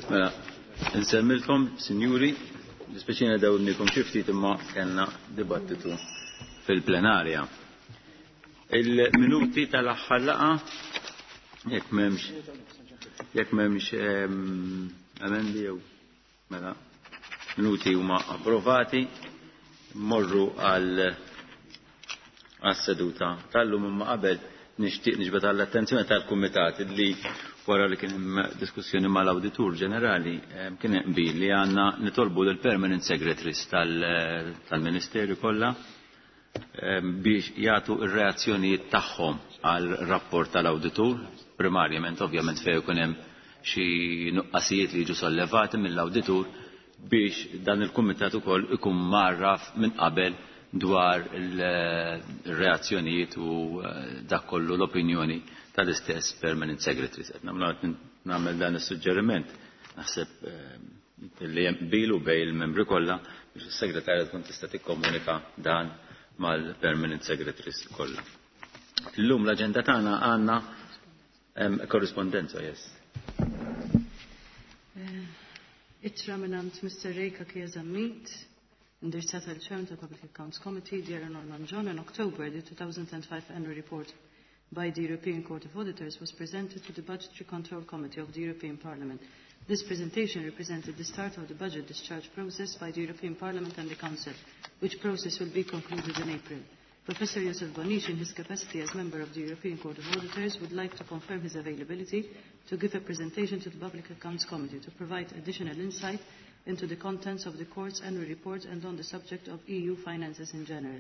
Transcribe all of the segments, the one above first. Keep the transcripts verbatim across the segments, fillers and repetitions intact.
Mela, nsemmilkom, sinjuri, dispeċina dawnikom xi ftit imma kellna dibattitu fil-plenarja. Il-minuti tal-aħħar laqgħa jekk m'hemmx jekk m'hemmx emendi jew mela minuti huma approvati, morru għal għas-seduta tal-lum imma qabel nixtieq niġbed għall-attenzjoni tal-kumitat li wara li kien hemm diskussjoni mal-Awditur Ġenerali kien hemm qbil li għandna nitolbu lill permanent secretaries tal-Ministerju kollha biex jagħtu r-reazzjonijiet tagħhom għal rapport tal-awditur, primarjament ovvjament fejn ikun hemm xi nuqqasijiet li jiġu sollevati mill-awditur biex dan il-kumitat ukoll ikun marraf minn qabel dwar il-reazzjonijiet u dak kollu l-opinjoni tal-istess permanent secretaries. Qed nagħmel dan is-suġġeriment naħseb li hemm qbil bejn il-membri kollha biex is-segretarja tkun tista' tikkomunika dan mal-permanent secretaries kollha. Illum l-aġenda tagħna għandna korrispondenza, yes. Ittra mingħand Mister Ray Cachia Zammit, indirizzata l Chairman tal-Public Accounts Committee, Dear Norman John, in October, the two thousand five annual report by the European Court of Auditors was presented to the Budgetary Control Committee of the European Parliament. This presentation represented the start of the budget discharge process by the European Parliament and the Council, which process will be concluded in April. Professor Josef Bonnici, in his capacity as member of the European Court of Auditors, would like to confirm his availability to give a presentation to the Public Accounts Committee to provide additional insight into the contents of the Court's annual report and on the subject of E U finances in general.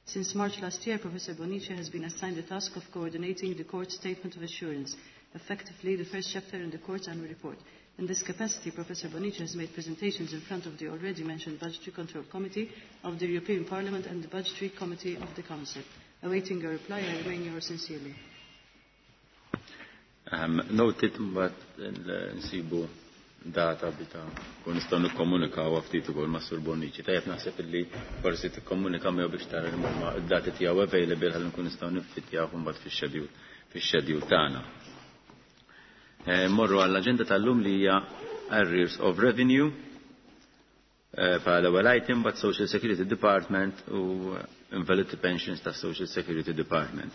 Since March last year, Professor Bonnici has been assigned the task of coordinating the Court's Statement of Assurance, effectively the first chapter in the Court's annual report. In this capacity, Professor Bonnici has made presentations in front of the already mentioned Budgetary Control Committee of the European Parliament and the Budgetary Committee of the Council. Awaiting your reply, I remain yours sincerely. Um, noted, but nsibu data bita kun nistgħu nikkomunikaw ftit ukoll ma' Sur Bonnici. Tajjeb naħseb illi forsi tikkomunika miegħu biex tara li huma d-dati tiegħu available ħalli nkun nistgħu niffittjaw imbagħad fix-schedule fix-schedule tagħna. Morru għall-aġenda tal-lum li hija Arrears of Revenue bħala ewwel item but Social Security Department u Invalidity Pensions ta' Social Security Department.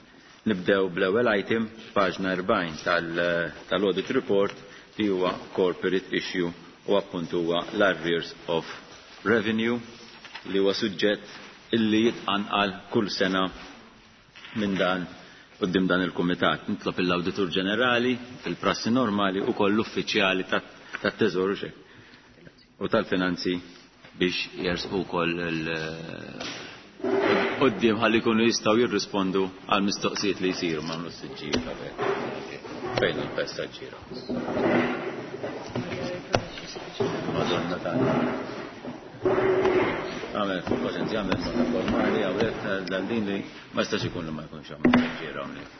Nibdew bl-ewwel item paġna erbgħin tal-audit report li huwa corporate issue u appunt huwa l-arrears of revenue li huwa suġġett illi jitqanqal kull sena minn dan quddiem dan il-kumitat. Nitlob l-Awditur Ġenerali fil-prassi normali u koll l-uffiċjali tat-Teżor u tal-Finanzi biex jersqu wkoll quddiem ħalli jkunu jistgħu jirrispondu għal mistoqsijiet li jsiru ma' siġġijiet qabel. Fejn il-passaġġiera? Madonna tagħna. Għamel fuq paċenzja, għamel nota formali, hawnhekk dal-din li ma jistax ikun li ma jkunx hawn passaġġiera hawnhekk.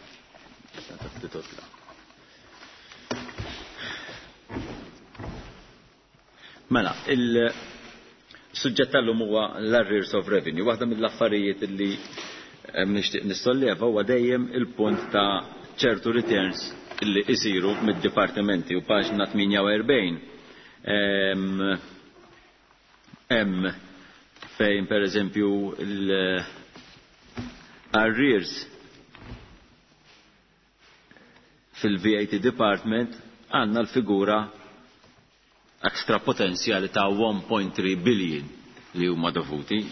Mela, il-suġġett tal-lum huwa l-arrears of revenue. Waħda mill-affarijiet li nixtieq nissolleva huwa dejjem il-punt ta' ċertu returns li isiru mid-dipartimenti u paġna tmienja u erbgħin. Hemm fejn per eżempju l-arrears fil-V A T Department għandna l-figura extra potenzjali ta' one point three billion li huma dovuti.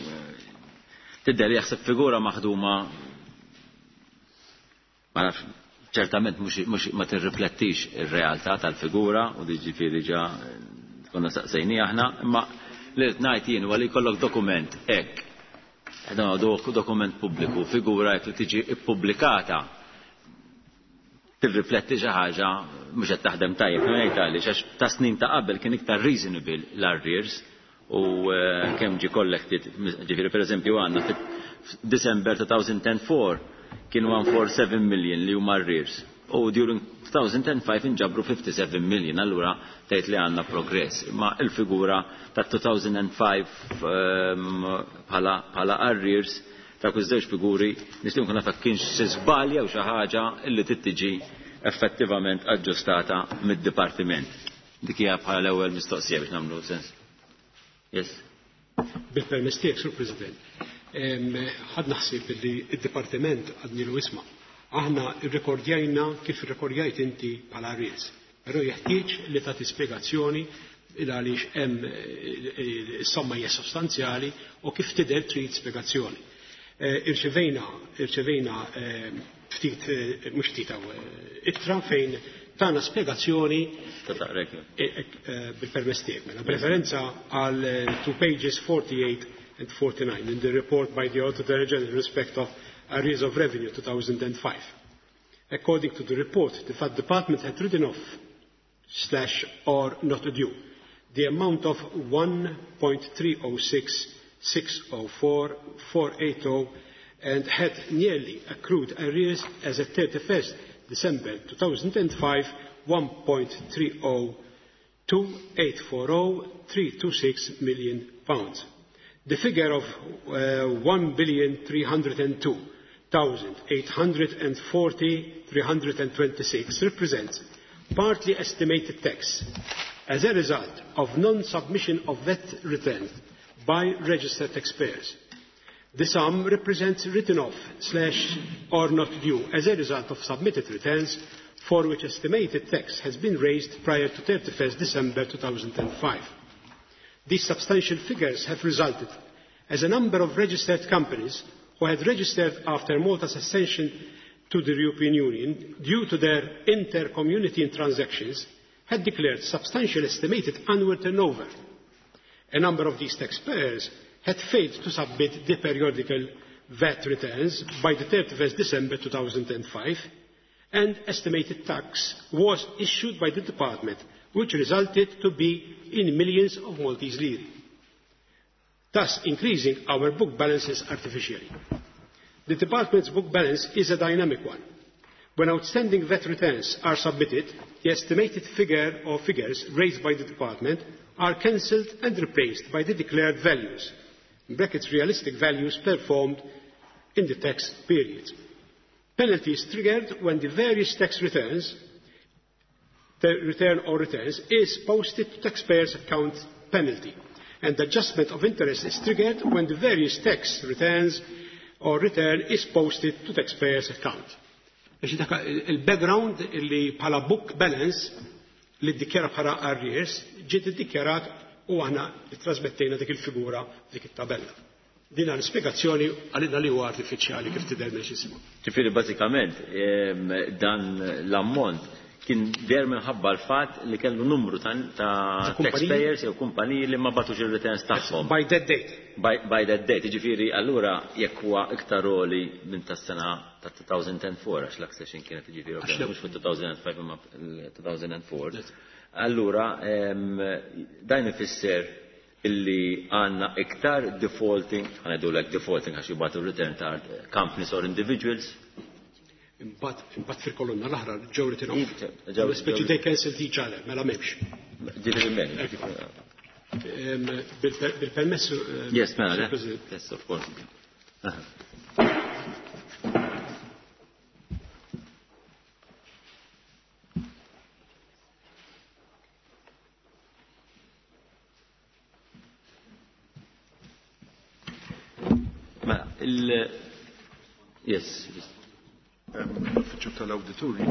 Tidher li jaħseb figura maħduma ma nafx, ċertament mhux ma tirriflettix ir-realtà tal-figura u ġifieri ġa konna saqsejni aħna, imma li qed ngħid jien huwa li jkollok dokument hekk. Dan huwa dokument pubbliku, figura hekk li tiġi ippubblikata tirrifletti xi ħaġa mhux qed taħdem tajjeb, ngħid għaliex għax ta' snin ta' qabel kien iktar reasonable l-arrears u kemm ġie collected, ġifieri pereżempju għandna f'December two thousand and four kienu one four seven million li huma arrears. U during two thousand and five inġabru fifty-seven million, allura tgħid li għandna progress. Imma il-figura ta' two thousand and five bħala arrears ta' kull żewġ figuri nistgħu nkun naf kienx xi żbalja jew xi ħaġa li trid tiġi effettivament aġġustata mid-dipartiment. Dik hija bħala l-ewwel mistoqsija biex nagħmlu sens. Yes. Bil-permess tiegħek, Sur President. Ħadna ħsieb li d-dipartiment għadnilu isma'. Aħna rrekordjajna kif irrekordjajt inti bħala arrears. Però jeħtieġ li tagħti spjegazzjoni il għaliex hemm is-somma hija sostanzjali u kif tidher trid spjegazzjoni. Irċevejna irċevejna ftit mhux ftit hawn ittra fejn tana spjegazzjoni bil-permess tiegħek. Mela b'referenza għal two pages forty-eight and forty-nine in the report by the Auditor General in respect of arrears of revenue two thousand and five. According to the report, the V A T department had written off slash or not due the amount of one point three oh six six oh four four eight oh and had nearly accrued arrears as at thirty-first December two thousand and five one point three oh two eight four oh three two six million pounds. The figure of uh, one billion three hundred and two thousand eight hundred and forty three hundred and twenty-six represents partly estimated tax as a result of non-submission of V A T returns by registered taxpayers. The sum represents written off slash or not due as a result of submitted returns for which estimated tax has been raised prior to thirty-first December two thousand and five. These substantial figures have resulted as a number of registered companies who had registered after Malta's accession to the European Union due to their inter-community transactions had declared substantial estimated annual turnover. A number of these taxpayers had failed to submit the periodical V A T returns by the thirty-first December two thousand and five, and estimated tax was issued by the department, which resulted to be in millions of Maltese lire, thus increasing our book balances artificially. The department's book balance is a dynamic one. When outstanding V A T returns are submitted, the estimated figure or figures raised by the department are cancelled and replaced by the declared values, in brackets realistic values performed in the tax period. Penalties triggered when the various tax returns, the return or returns, is posted to taxpayers' account penalty, and adjustment of interest is triggered when the various tax returns or return is posted to taxpayers' account. Il-background li bħala book balance li ddikjara bħala arrears ġiet iddikjarat u aħna trasmettejna dik il-figura dik it-tabella. Din l-ispjegazzjoni għalina li huwa artifiċjali kif tidher minn. Ġifieri bażikament dan l-ammont kien der minħabba l-fatt li kellu numru ta' taxpayers jew kumpaniji li ma batux ir-returns tagħhom. By that date. By, by that date, jiġifieri allura jekk huwa iktar għoli minn tas-sena ta' two thousand and four għax l-accession kienet jiġifieri mhux fit two thousand and five imma two thousand and four. Allura dan ifisser illi għandna iktar defaulting, ħanedulek defaulting għax jibgħatu return ta' companies or individuals. Imbagħad fil-kolonna l-aħra ġew written off. Speċi they cancelled each other, mela m'hemmx. Ġifieri m'hemm. Bil-permess. Yes, mela. Yes, of course. Mela, il Yes. L-uffiċċju tal-awdituri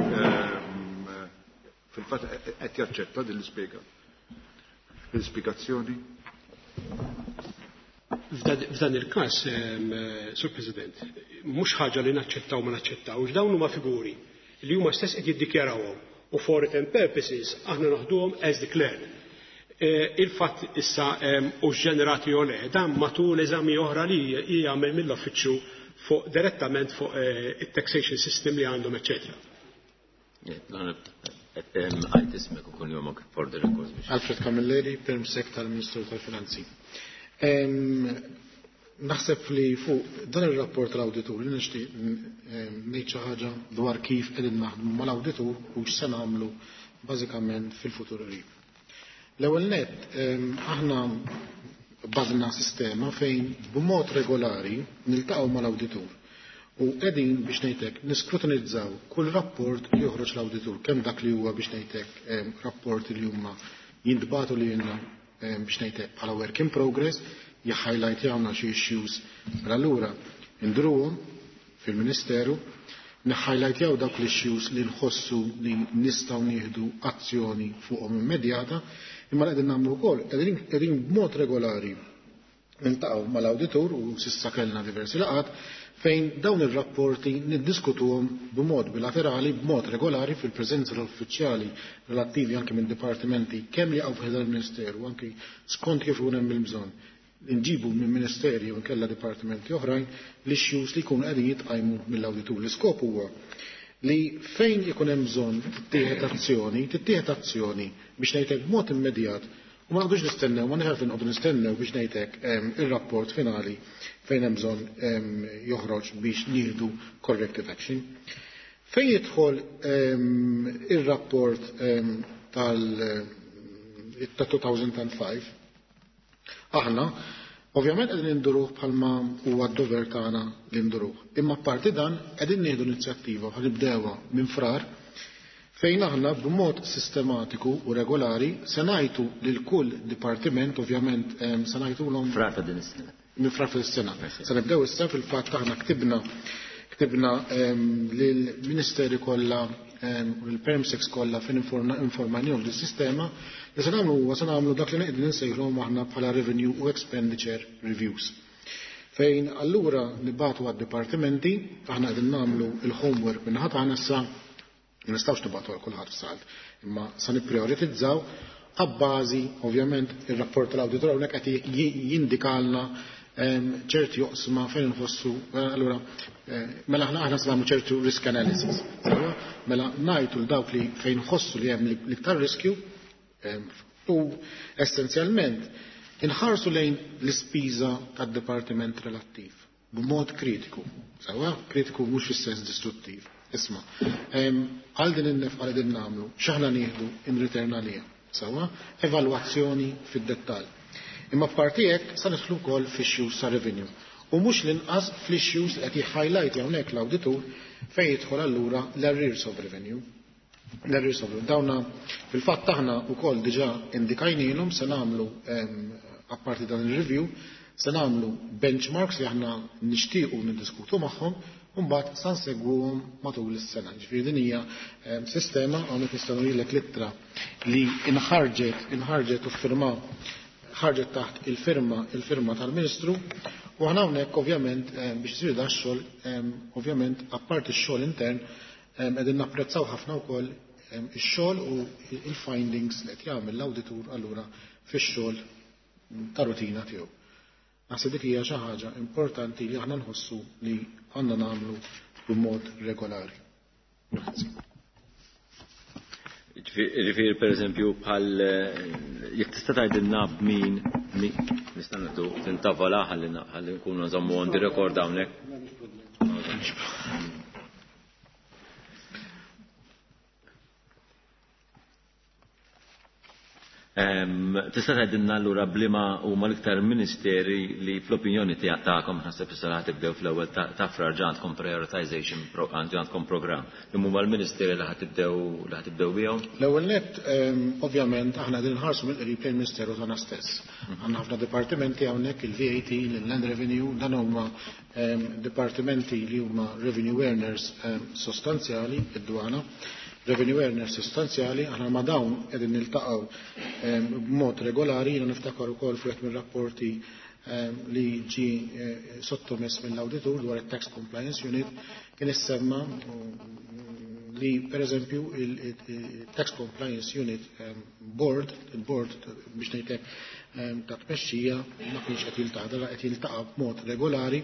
fil-fatt qed jaċċetta din l-ispjega. L-ispjegazzjoni. F'dan il-każ, Sur President, mhux ħaġa li naċċettaw ma naċċettawx, dawn huma figuri li huma stess qed jiddikjarawhom u for written purposes aħna naħduhom as declared. Il-fatt issa u ġenerati jew le, dan matul eżami oħra li jagħmel mill-uffiċċju fuq direttament fuq it-taxation system li għandhom, eccetera. Għajt ismek u kunjomok for the record. Alfred Camilleri, Permsec tal-Ministru tal-Finanzi. Naħseb li fuq dan ir-rapport tal-awditur li nixtieq ngħid xi ħaġa dwar kif qegħdin naħdmu mal-awditur u x'se nagħmlu bażikament fil-futur qrib. L-ewwel nett aħna bażna sistema fejn b'mod regolari niltaqgħu mal-awditur u qegħdin biex ngħidlek niskrutinizzaw kull rapport li joħroġ l-awditur, kemm dak li huwa biex ngħidlek rapport li huma Jintbagħtu lilna biex ngħidlek bħala work in progress, jħajlajtjawna xi issues, mela allura indruhom fil-Ministeru, nħajlajtjaw dawk l-issues li nħossu li nistgħu nieħdu azzjoni fuqhom immedjata, imma qegħdin nagħmlu wkoll qegħdin b'mod regolari niltaqgħu mal-awditur u s'issa kellna diversi laqgħat fejn dawn ir-rapporti niddiskutuhom b'mod bilaterali, b'mod regolari fil-preżenza tal-uffiċjali relattivi anke minn dipartimenti kemm li jaqgħu f'ħdan il-Ministeru, anke skont kif ikun hemm il-bżonn. Nġibu minn ministeri u nkella dipartimenti oħrajn l-issues li jkunu qegħdin jitqajmu mill-awditur. L-iskop huwa li fejn ikun hemm bżonn tittieħed azzjoni, tittieħed azzjoni biex ngħidlek b'mod immedjat u ma nqogħdux nistennew, ma nħarf nqogħdu nistennew biex ngħidlek ir-rapport finali fejn hemm bżonn joħroġ biex nieħdu corrective action. Fejn jidħol ir-rapport tal ta' two thousand five, aħna ovvjament qegħdin induruh bħalma huwa d-dover tagħna li nduruh. Imma apparti dan qegħdin nieħdu inizjattiva ħa nibdewha minn Frar fejn aħna b'mod sistematiku u regolari se ngħidu lil kull dipartiment, ovvjament se ngħidulhom Frar ta' din is-sena. Minn Frar fis-sena. Se nibdew issa. Fil-fatt aħna ktibna ktibna lill-ministeri kollha u lill-permsecs kollha fejn informajnihom dis-sistema li se nagħmlu huwa se nagħmlu dak li qegħdin insejħlhom aħna bħala revenue u expenditure reviews. Fejn allura nibagħtu għad-dipartimenti, aħna qegħdin nagħmlu il-homework minn ħadd aħna issa, ma nistgħux nibagħtu għal kulħadd f'salt, imma se nipprioritizzaw abbażi ovvjament ir-rapport tal-awditur hawnhekk qed jindikalna ċerti oqsma fejn nħossu, allura mela aħna aħna se nagħmlu ċertu risk analysis. Mela ngħidu l dawk li fejn nħossu li hemm l-iktar riskju u essenzjalment inħarsu lejn l-ispiża tad-dipartiment relattiv b'mod kritiku. Sewwa, kritiku mhux fis-sens distruttiv. Isma', għal din in-nefqa li din nagħmlu, x'aħna nieħdu in return għaliha. Sewwa, evalwazzjoni fid-dettall. Imma parti hekk sa nidħlu wkoll f'issues ta' revenue. U mhux l-inqas fl-issues qed jħajlajt hawnhekk l-awditur fejn jidħol allura l-arrears of revenue. L-arrears of revenue. Dawna fil-fatt aħna wkoll diġà indikajnilhom se nagħmlu, apparti dan il-review, se nagħmlu benchmarks li aħna nixtiequ niddiskutu magħhom u mbagħad sa nsegwuhom matul is-sena. Ġifieri din hija sistema hawnhekk nistgħu ngħidlek l-ittra li inħarġet inħarġet u firma ħarġet taħt il-firma il-firma tal-Ministru u aħna hawnhekk ovvjament biex isir da x-xogħol, ovvjament apparti x-xogħol intern, qegħdin napprezzaw ħafna wkoll ix-xogħol u il-findings li qed jagħmel l-awditur allura fix-xogħol ta' rutina tiegħu. Naħseb dik hija xi ħaġa importanti li aħna nħossu li għandna nagħmlu b'mod regolari. Grazzi. Ġifieri per eżempju bħal jekk tista' tgħidilna b'min nista' nagħtu tintavola ħalli ħalli nkunu nżommu on the record hawnhekk. Tista' tgħidilna allura b'liema huma l-iktar ministeri li fl-opinjoni tiegħek tagħkom, naħseb issa ħa tibdew fl-ewwel ta' Frar ġa għandkom prioritization għandkom programm li huma l-ministeri li ħa tibdew li ħa tibdew bihom? L-ewwel nett, ovvjament aħna qegħdin nħarsu mill-qrib lejn il-Ministeru tagħna stess. Għandna ħafna dipartimenti hawnhekk, il-V A T, l-Land Revenue, dan huma dipartimenti li huma revenue earners sostanzjali, id-dwana revenue earners sostanzjali, aħna ma dawn qegħdin niltaqgħu b'mod regolari. Jiena niftakar ukoll fuq mir-rapporti li ġi sottomess mill-awditur dwar it-Tax Compliance Unit kien issemma li per eżempju il-Tax Compliance Unit Board, il-board biex ngħidlek ta' tmexxija ma kienx qed jiltaqa', qed jiltaqa' b'mod regolari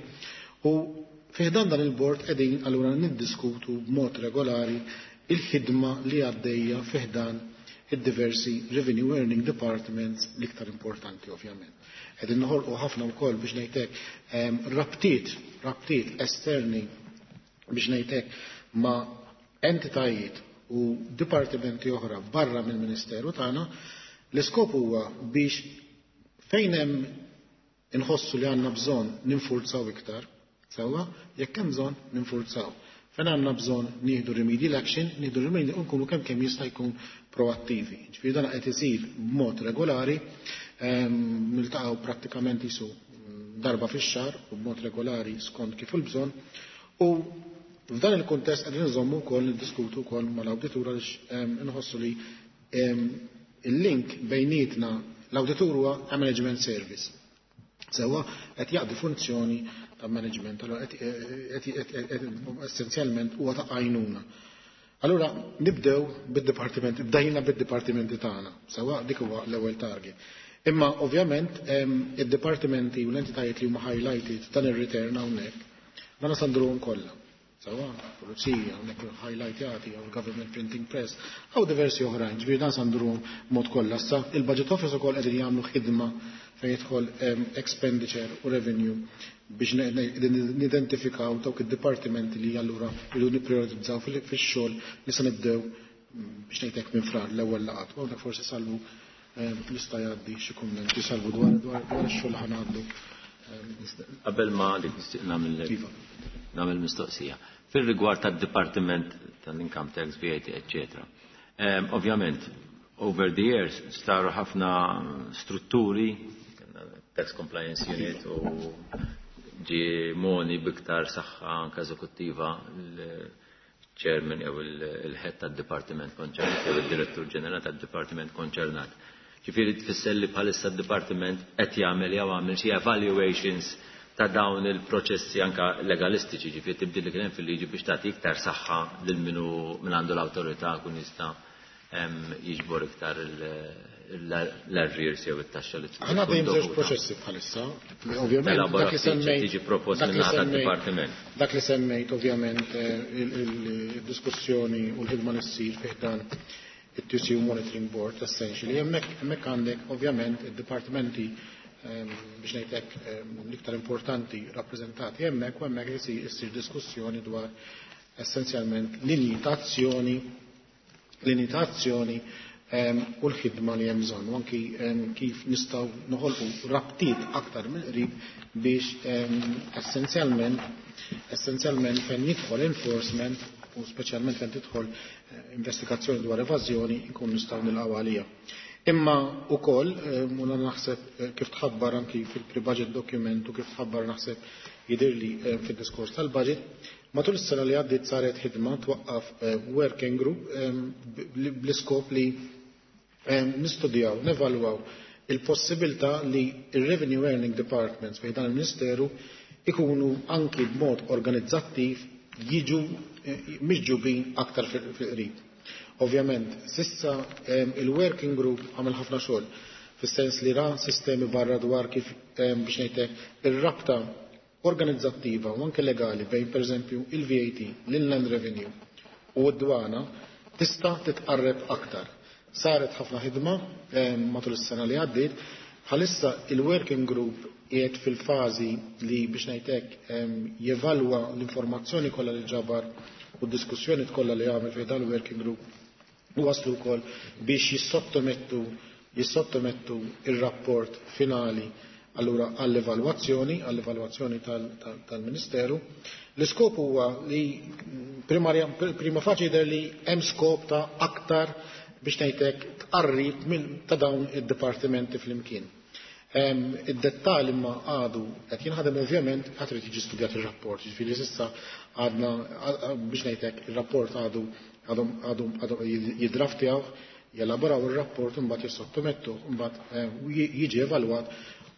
u fi ħdan dan il-board qegħdin allura niddiskutu b'mod regolari il-ħidma li għaddejja fi ħdan id-diversi revenue earning departments l-iktar importanti ovvjament. Qegħdin noħolqu ħafna wkoll biex ngħidlek rabtiet, rabtiet esterni biex ngħidlek ma' entitajiet u dipartimenti oħra barra mill-Ministeru tagħna. L-iskop huwa biex fejn hemm inħossu li għandna bżonn ninfurzaw iktar, sewwa, jekk hemm bżonn ninfurzaw. Fejn għandna bżonn nieħdu remedial action, nieħdu remedial u nkunu kemm kemm jista' jkun proattivi. Ġifieri dan qed isir b'mod regolari, niltaqgħu prattikament isu darba fix-xahar u b'mod regolari skont kif il-bżonn. U f'dan il-kuntest qegħdin nżommu wkoll niddiskutu wkoll mal-awditur għaliex inħossu li il-link bejnietna l-awditur huwa management service. Sewwa qed jaqdi funzjoni ta' management, allora essenzjalment huwa ta' għajnuna. Allura nibdew bid-dipartimenti, bdejna bid-dipartimenti tagħna, sewwa dik huwa l-ewwel target. Imma ovvjament id-dipartimenti u l-entitajiet li huma highlighted dan ir-return hawnhekk, dan sandruhom kollha. Sewwa, pulizija, hawnhekk highlightjati, jew il-Government Printing Press, jew diversi oħrajn, ġifieri dan sandruhom mod kollha. Issa il-Budget Office ukoll qegħdin jagħmlu ħidma fejn jidħol expenditure u revenue biex nidentifikaw dawk id-dipartimenti li allura jridu nipprioritizzaw fix-xogħol li se nibdew biex ngħidlek minn Frar l-ewwel laqgħat. U hawnhekk forsi Salvu jista' jgħaddi xi kummenti Salvu dwar dwar ix-xogħol li ħangħaddu. Qabel ma dik nixtieq nagħmel nagħmel mistoqsija. Fir-rigward tad-Dipartiment tal-Income Tax, V A T, eċċetera. Ovvjament, over the years saru ħafna strutturi, Tax Compliance Unit u ġie moni biktar saħħa anke eżekuttiva l-chairman jew il-head tad-dipartiment konċernat jew id-direttur ġenerali tad-dipartiment konċernat. Ġifieri tfisser li bħalissa d-dipartiment qed jagħmel jew għamel xi evaluations ta' dawn il-proċessi anke legalistiċi, ġifieri tibdil li kien hemm fil-liġi biex tagħti iktar saħħa lil min hu min għandu l-awtorità kun jista' jiġbor iktar l-arrears jew it-taxxa li tkun. Aħna dejjem żewġ proċessi bħalissa. Ovvjament dak li semmejt tiġi propost minn naħa tad-dipartiment. Dak li semmejt ovvjament il-diskussjoni u l-ħidma li ssir fih dan it-T C U Monitoring Board essentially hemmhekk hemmhekk għandek ovvjament id-dipartimenti biex ngħidlek l-iktar importanti rappreżentati hemmhekk u hemmhekk issir diskussjoni dwar essenzjalment linji ta' azzjoni linji ta' azzjoni u l-ħidma li hemm bżonn, u anki kif nistgħu noħolqu rabtiet aktar mill-qrib biex essenzjalment essenzjalment fejn jidħol enforcement u speċjalment fejn tidħol investigazzjoni dwar evażjoni nkun nistgħu nilqgħu għalija. Imma wkoll u naħseb kif tħabbar anki fil-pre-budget document u kif tħabbar naħseb jidhirli fid-diskors tal-budget, matul is-sena li għaddiet saret ħidma twaqqaf working group bl-iskop li nistudjaw, nevalwaw il-possibilità li il-Revenue Earning Departments fejn dan il-Ministeru ikunu anki b'mod organizzattiv jiġu miġġubin aktar fil-qrib. Ovvjament, sissa il-working group għamel ħafna xogħol fis-sens li ra sistemi barra dwar kif biex ngħidlek ir-rabta organizzattiva u anke legali bejn pereżempju il-V A T, l-Inland Revenue u d-dwana tista' titqarreb aktar. Saret ħafna ħidma matul is-sena li għaddiet, bħalissa il-working group qiegħed fil-fażi li biex ngħidlek jevalwa l-informazzjoni kollha li ġabar u d-diskussjoni kollha li għamel fejn dan il-working group u waslu wkoll biex jissottomettu, jissottomettu ir-rapport finali allura għall-evalwazzjoni, għall-evalwazzjoni tal-Ministeru. L-iskop huwa li primarja, prima faċi jidher li hemm skop ta' aktar biex ngħidlek tqarrib minn ta' dawn id-dipartimenti flimkien. Id-dettall imma għadu qed jinħadem ovvjament għad irid jiġi studjat ir-rapport, jiġifieri s'issa għadna biex ngħidlek ir-rapport għadu għadhom għadhom għadhom jidraftjaw, jelaboraw ir-rapport u mbagħad jissottomettu, mbagħad jiġi evalwat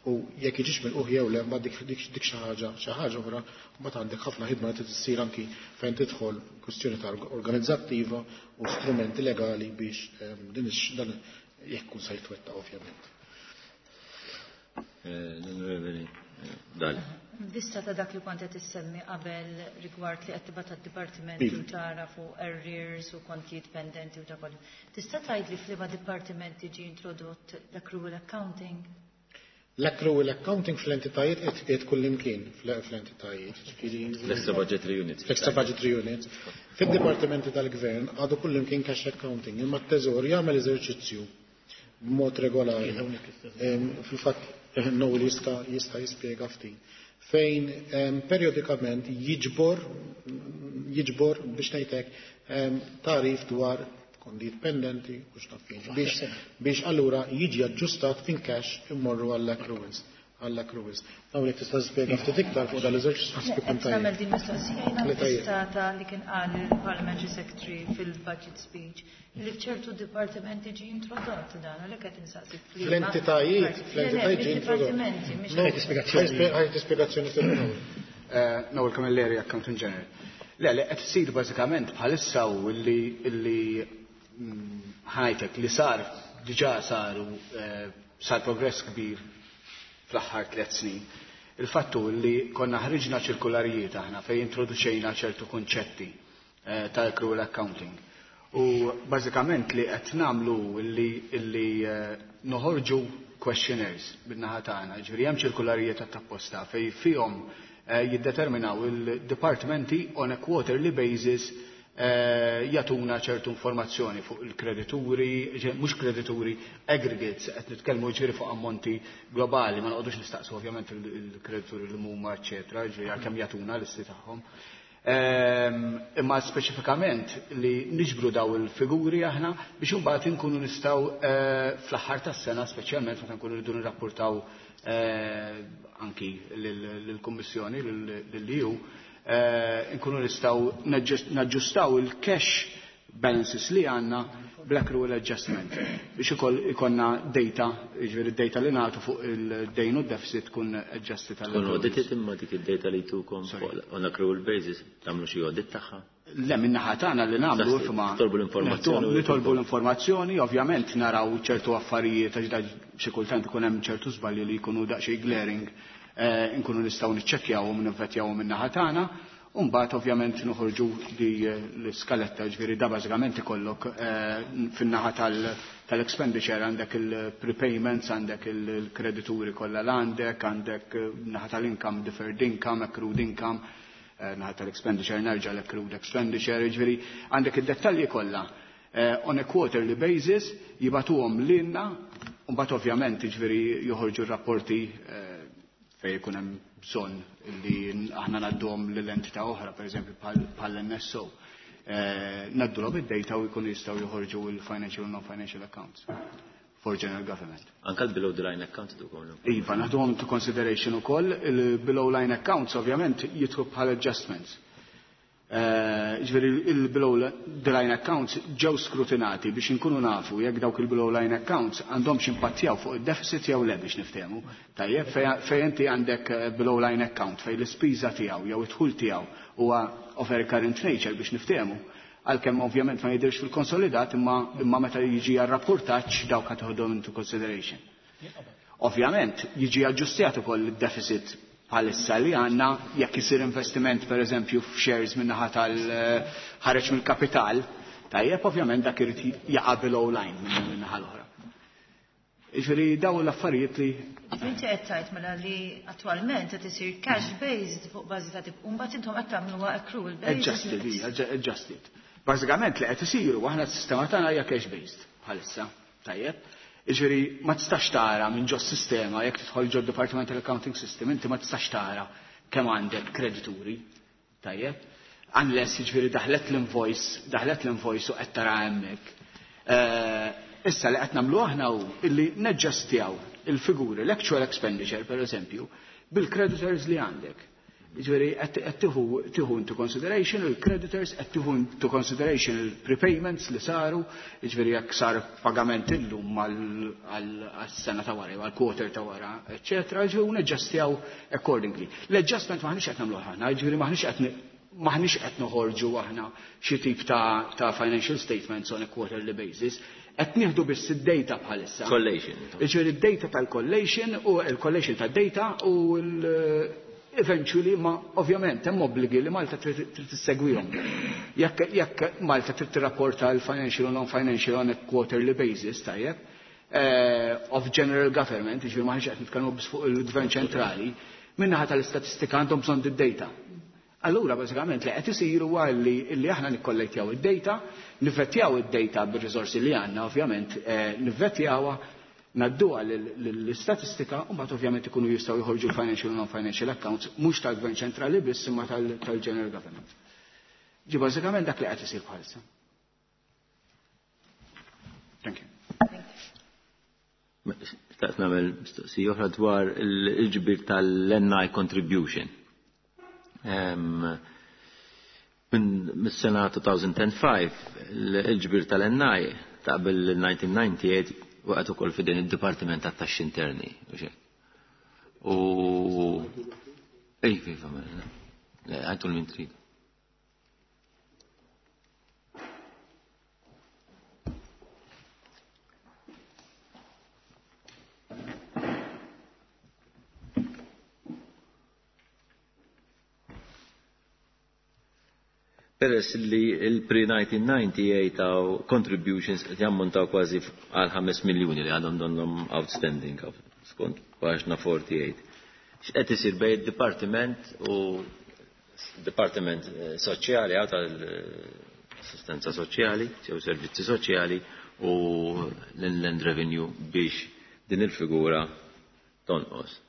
u jekk jiġix mill-uħ jew le, mbagħad dik, dik, dik xi ħaġa, xi ħaġa oħra, mbagħad għandek ħafna ħidma li trid issir anki fejn tidħol kwistjoni ta' organizzattiva u strumenti legali biex, ehm, din ix-, dan jekk kun se jitwettaq ovvjament. Eh, L-Onorevoli Dalli. Vista ta' dak li kont qed issemmi qabel rigward li qed tibgħat għad-dipartimenti u tara fuq arrears u kontijiet pendenti u ta' kollu. Tista' tgħidli f'liema dipartimenti ġie introdott l-accrual accounting? L-accrual accounting fl-entitajiet qed, qed kullimkien fl-entitajiet, ġifieri L-extra budgetary units. L-extra budgetary units. Fid-dipartimenti tal-gvern għadu kullimkien cash accounting, imma t-teżor jagħmel eżerċizzju b'mod regolari. Fil-fatt Noel jista', jista' jispjega ftit. fejn um, periodikament jiġbor jiġbor biex ngħidlek um, tarif dwar kontijiet pendenti u x'naf jien biex biex allura jiġi aġġustat in cash immorru għall-accruals għall-accruals. Dawn jekk tista' tispjega ftit iktar fuq dal-eżerċizzju Qed ikun tajjeb. nagħmel din mistoqsija jiena Le tajjeb. fissata li kien qal il-Parliamentary Secretary fil-budget speech li f'ċertu dipartimenti ġi introdott dan, għalhekk qed insaqsi f'liema- Fl-entitajiet, fl-entitajiet ġi introdott. Fil-dipartimenti, mhix No, ħajt spjegazzjoni fil-ewwel. Eh, Noel Camilleri, Accountant General. Le, le, qed isir bażikament bħalissa u illi illi mm, ħajtek li sar diġà saru eh, sar progress kbir fl-aħħar tliet snin. Il-fattu li konna ħriġna ċirkularijiet aħna fejn introduċejna ċertu konċetti eh, tal-accrual accounting. U bażikament li qed nagħmlu illi illi eh, noħorġu questionnaires bin-naħa tagħna, ġifieri hemm ċirkularijiet apposta fejn fihom eh, jiddeterminaw il-departmenti on a quarterly basis eh, jagħtuna ċertu informazzjoni fuq il-kredituri, ġe- mhux kredituri, aggregates, qed nitkellmu ġifieri fuq ammonti globali, ma noqogħdux nistaqsu ovvjament il- il-kredituri li huma eċetera, ġifieri għalkemm jagħtuna listi tagħhom. Ehm, Imma speċifikament li niġbru daw il-figuri aħna biex imbagħad inkunu nistgħu eh, fl-aħħar tas-sena speċjalment meta nkunu rridu nirrapportaw eh, anki lill-Kummissjoni, lill-E U, eh, nkunu nistgħu naġġustaw il-cash balances li għandna bl-accrual adjustment biex ukoll ikonna data, jiġifieri data li nagħtu fuq il-dejn u deficit tkun adjusted għall Tkun audited imma dik id-data li tukom fuq on accrual basis tagħmlu xi audit tagħha. Le, min-naħa tagħna li nagħmlu Just imma titolbu l-informazzjoni u Nitolbu l-informazzjoni, ovvjament naraw ċertu affarijiet għax da xi kultant ikun hemm ċertu żbalji li jkunu daqsxejn glaring, eh, nkunu nistgħu niċċekkjawhom nivvettjawhom min-naħa tagħna. U mbagħad ovvjament noħorġu di eh, l-iskaletta, ġifieri da bażikament ikollok eh, fin-naħa tal- tal-expenditure għandek il-prepayments, għandek il-kredituri kollha l-għandek, għandek eh, naħa tal-income, deferred income, accrued income, eh, naħa tal-expenditure nerġa' l-accrued expenditure, ġifieri għandek id-dettalji kollha eh, on a quarterly basis jibagħtuhom lilna, u mbagħad ovvjament ġifieri joħorġu r-rapporti eh, fejn ikun hemm bżonn li aħna ngħadduhom lil entità oħra, pereżempju bħall-N S O. Eh, Ngħaddulhom id-data u jkunu jistgħu joħorġu il-financial u non-financial accounts for general government. Anka l-below the line account tukom. Iva, naħduhom to consideration ukoll, il-below line accounts ovvjament jidħlu bħal adjustments. Eh, Ġifieri il-below the line accounts ġew skrutinati biex inkunu nafu jekk dawk il-below line accounts għandhom impattjaw fuq il-deficit jew le biex niftehmu. Tajjeb, fej inti għandek eh, below line account fej l-ispiża tiegħu jew id-dħul tiegħu huwa of a recurrent nature biex niftehmu. Għalkemm ovvjament ma jidhirx fil-konsolidat imma imma meta jiġi għar-rapportaġġ dawk qed toħodhom into consideration. Ovvjament, jiġi aġġustjat ukoll id-deficit bħalissa li għandna jekk isir investiment per eżempju f'shares min-naħa tal-ħareġ mill-kapital, tajjeb ovvjament dak irid jaqa' below line minn naħa l-oħra. Jiġifieri dawn l-affarijiet li Inti qed tgħid mela li attwalment qed isir cash based fuq bażi ta' tip u mbagħad intom qed tagħmluha accrual basis. Adjusted, hija, adjusted. Bażikament li qed isiru aħna s-sistema tagħna hija cash based bħalissa, tajjeb. Jiġifieri ma tistax tara minn ġo sistema jekk tidħol ġo Departmental Accounting System, inti ma tistax tara kemm għandek kredituri, tajjeb. Unless jiġifieri daħlet l-invoice, daħlet l-invoice u qed tara hemmhekk. Eh, Issa li qed nagħmlu aħna hu illi neġġastjaw il-figuri, l-actual expenditure per eżempju, bil-creditors li għandek. Ġifieri qed tieħu tieħu into consideration il-creditors, qed tieħu into consideration il-prepayments li saru, ġifieri jekk sar pagament illum għal-sena ta' wara, għal-quarter ta' wara, eċetera, ġifieri neġġastjaw accordingly. L-adjustment maħniex qed nagħmlu aħna, ġifieri maħniex qed maħniex qed noħorġu aħna xi tip ta', ta' financial statements on a quarterly basis, qed nieħdu biss id-data bħalissa. Collation. Ġifieri id-data tal-collation u l-collation tad-data u l eventually ma ovvjament hemm obbligi li Malta trid tissegwihom. Jekk jekk Malta trid tirrapporta l-financial u non-financial on a quarterly basis, tajjeb, eh, of general government, ġifieri maħniex qed nitkellmu biss fuq il-gvern ċentrali, min-naħa tal-istatistika għandhom bżonn id-data. Allura, bażikament li qed isiru huwa li li aħna nikkollettjaw id-data, nivvettjaw id-data bir-riżorsi li għandna, ovvjament, eh, nivvettjawha, Ngħadduha lill-istatistika u mbagħad ovvjament ikunu jistgħu joħorġu l-financial u non-financial accounts mhux tal-Gvern ċentrali biss imma tal-General Government. Ġi bażikament dak li qed isir bħalissa. Thank you. Xtaqt nagħmel mistoqsija oħra dwar il-ġbir tal-N I contribution. Mis-sena two thousand five il-ġbir tal-N I ta' qabel nineteen ninety-eight waqgħet ukoll f'idejn id-Dipartiment tat-Taxxi Interni u xejn. U ej, kif għamel? Le, għajtu l-min trid. Peress li il-pre nineteen ninety-eight għaw contributions qed jammontaw kważi għal ħames miljuni li għadhom donhom outstanding skont paġna forty-eight. X'qed isir bejn id-dipartiment u dipartiment soċjali għaw tal-assistenza soċjali, jew servizzi soċjali u l-Inland Revenue biex din il-figura tonqos.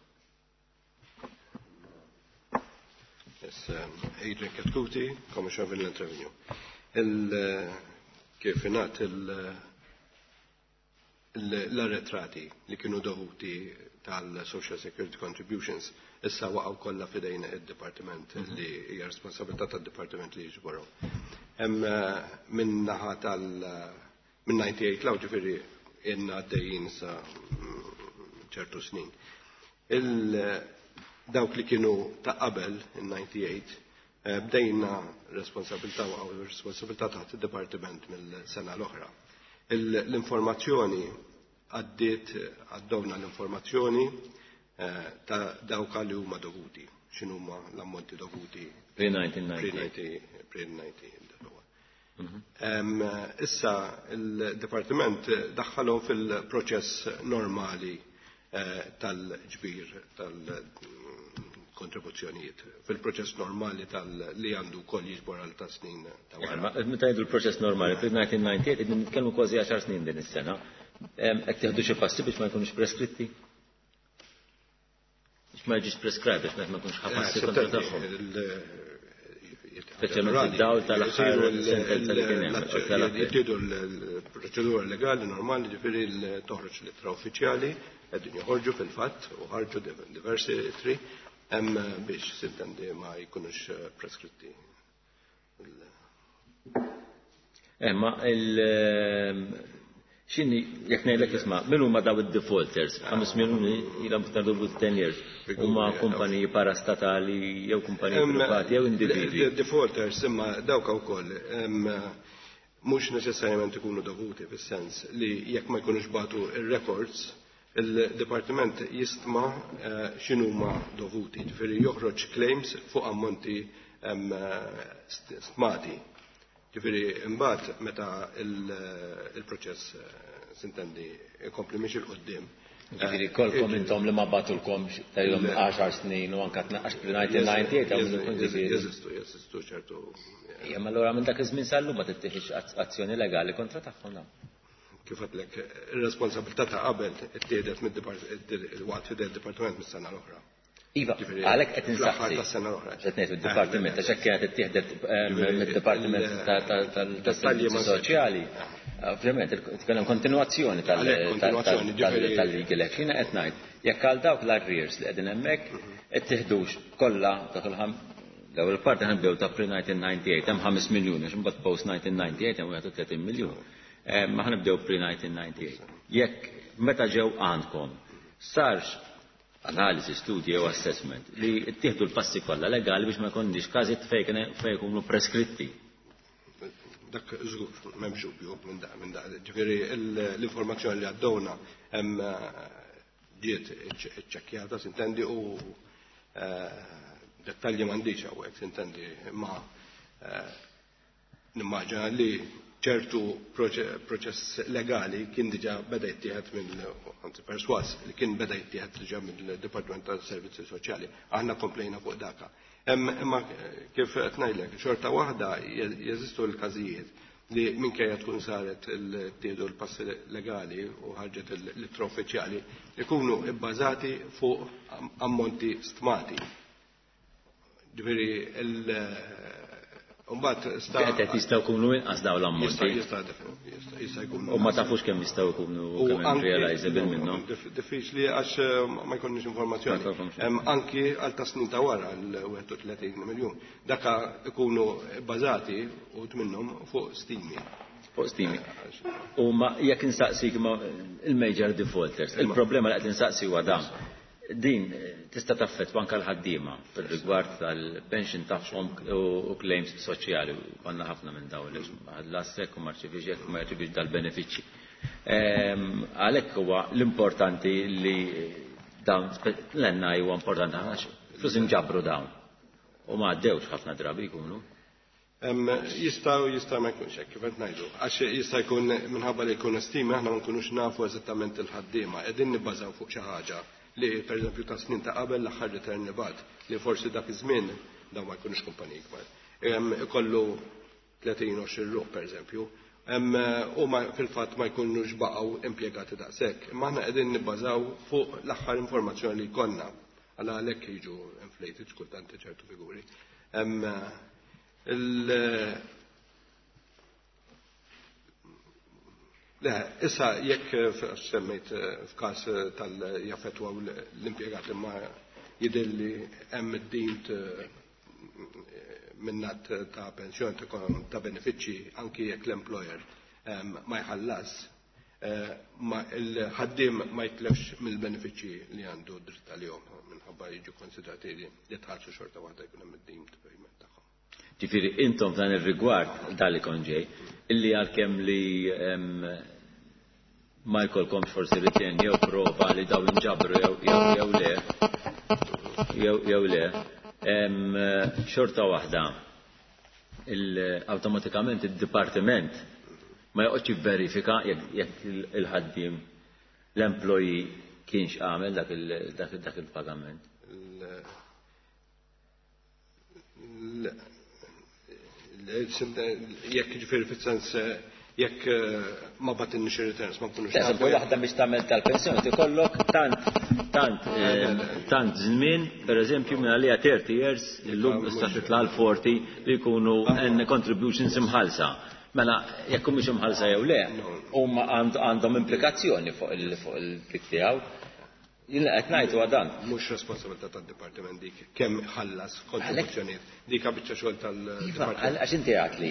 Yes, um, Adrian Chetcuti, Commissioner of Inland Revenue. Il, kif ingħad l-arretrati li kienu dovuti tal-Social Security Contributions issa waqgħu kollha f'idejn id-Dipartiment li hija responsabilità tad-Dipartiment li jiġborhom. Hemm minn naħa tal minn ninety-eight law ġifieri ilna għaddejjin sa ċertu snin. Il dawk li kienu ta' qabel in ninety-eight bdejna responsabilità u responsabilità taħt id-Dipartiment mill-sena l-oħra. L-informazzjoni għaddiet għaddowna l-informazzjoni ta' dawk li huma dovuti, x'inhuma l-ammonti dovuti pre nineteen ninety. pre nineteen. Issa il-Dipartiment daħħalhom fil-proċess normali tal-ġbir tal-kontribuzzjonijiet, fil-proċess normali tal-li għandu wkoll jiġbor għal ta' snin ta' wara. Meta ngħidu l-proċess normali, fil-nineteen ninety-eight qegħdin nitkellmu kważi għaxar snin din is-sena. Qed tieħdu xi passi biex ma jkunux preskritti? Biex ma jiġix prescribed, biex ma jkunx ħa passi kontra tagħhom. Speċjalment id-dawl tal-aħħar sentenza li kien hemm. Jittieħdu l-proċedura legali normali, ġifieri toħroġ l-ittra uffiċjali, qegħdin joħorġu fil-fatt u ħarġu diversi ittri hemm biex sintendi ma jkunux preskritti. Ma il x'inhi jekk ngħidlek isma' min huma daw id-defaulters, ħames miljuni ilhom iktar dovuti ten years, huma kumpaniji parastatali jew kumpaniji privati jew individwi. Defaulters imma dawk ukoll mhux neċessarjament ikunu dovuti fis-sens li jekk ma jkunux batu ir-records, il-Dipartiment jistma x'inhuma dovuti, ġifieri joħroġ claims fuq ammonti stmati. Ġifieri imbagħad meta il-proċess sintendi ikompli mhix il quddiem. Ġifieri kolkom intom li ma batulkomx tajhom għaxar snin u anke tnaqqax pre-nineteen ninety-eight hawn ikun ġifieri. Jeżistu, jeżistu ċertu. Ejja, ma allura minn dak iż-żmien sal-lum ma tittieħix azzjoni legali kontra tagħhom dawn. Kif għedtlek, ir-responsabilità ta' qabel ittieħdet mid-waqt fidel id-dipartiment mis-sena l-oħra. Iva, għalhekk qed Fl-aħħar insaqsi. tas-sena l-oħra. Qed ngħid id-dipartiment għax hekk kienet ittieħdet mid-dipartiment tas-servizzi soċjali. Ovvjament, tkellem kontinwazzjoni tal- Għalhekk kontinwazzjoni, tal-, tal-, ġifieri tal-legal action qed ngħid. Jekk għal dawk l-arrears li qegħdin hemmhekk qed tieħdux kollha dak il-ħam l-ewwel parti ħanibdew ta' pre nineteen ninety-eight hemm ħames miljuni, għax imbagħad post nineteen ninety-eight hemm wieħed u tletin miljun. Ma ħanibdew pre nineteen ninety-eight. Jekk meta ġew għandkom sarx analiżi, studji jew assessment li ttieħdu l-passi kollha legali biex ma jkunniex każijiet fejn fejn ikunu preskritti. Dak żgur, m'hemmx dubju minn dak, minn dak. Ġifieri l-informazzjoni li għaddewna hemm ġiet iċċekkjata, sintendi, u dettalji m'għandix hawnhekk, sintendi, imma nimmaġina li ċertu proċess legali kien diġà beda jittieħed minn, anzi perswas, li kien beda jittieħed diġà mill-Dipartiment tas-Servizzi Soċjali. Aħna komplejna fuq daka. Imma kif qed ngħidlek, xorta waħda jeżistu l-każijiet li minkejja tkun saret il-tiedu l-passi legali u ħarġet l-ittra uffiċjali ikunu bbażati fuq ammonti stmati. Ġifieri il mbagħad sta qed jistgħu jkunu inqas dawn l-ammonti. Jista' jista' jkunu. U ma tafux kemm jistgħu jkunu kemm realizable minnhom. Diffiċli għax ma jkollniex informazzjoni. Anki għal ta' snin ta' wara l wieħed u tletin miljun. Daka ikunu bbażati u minnhom fuq stimi. Fuq stimi. U ma jekk insaqsik il-major defaulters, il-problema li qed insaqsi huwa dan. Din tista' taffettwa anke l-ħaddiema fir-rigward tal-pension tagħhom u claims soċjali. Għandna ħafna minn dawn li ħallasek u ma rċevix hekk u ma jirċevix dal-benefiċċji. Għalhekk huwa l-importanti li dawn l-N I huwa importanti għax flus inġabru dawn. U ma għaddewx ħafna drabi jkunu. Jista' jista' ma jkunx hekk kif qed ngħidu. Għax jista' jkun minħabba li jkun estima aħna ma nkunux nafu eżattament il-ħaddiema, qegħdin nibbażaw fuq xi ħaġa li pereżempju ta' snin ta' qabel l-aħħar return li bagħat li forsi dak iż-żmien dawn ma jkunux kumpaniji kbar. Ikollu tletin għoxrin ruħ pereżempju, u fil-fatt ma jkunux baqgħu impjegati daqshekk. Imma aħna qegħdin nibbażaw fuq l-aħħar informazzjoni li jkollna. Għala għalhekk jiġu inflated kultant ċertu figuri. Le, issa jekk semmejt f'każ tal-jaffettwaw l-impjegati ma jidhirli hemm id-deemed minnat ta' pensjoni ta' benefiċċji anki jekk l-employer ma jħallas, il-ħaddiem ma jitlefx mill-benefiċċji li għandu dritt għalihom minħabba jiġu konsidrati li tħallsu xorta waħda jkun hemm id-deemed payment tagħhom. Ġifieri intom f'dan ir-rigward dali kont ġej, illi għalkemm li ma jkollkomx forsi return jew prova li daw inġabru jew le, jew le, xorta waħda awtomatikament id-dipartiment ma joqgħodx jivverifika jekk il-ħaddiem l-employee kienx għamel dak il-pagament. Jekk ġifieri fis-sens jekk ma batinniex ir-returns ma nkunux. Eżempju, waħda biex tagħmel tal-pensjoni tikollok tant tant tant żmien, pereżempju minn għalija thirty years, illum issa titla' għal forty li jkunu contributions imħallsa. Mela jekk mhux imħallsa jew le, huma għandhom implikazzjoni fuq il-dik tiegħu. Jien qed ngħid huwa dan. Mhux responsabilità tad-dipartiment dik kemm ħallas kontribuzzjonijiet. Dik biċċa xogħol tal-dipartiment. Għax inti għedtli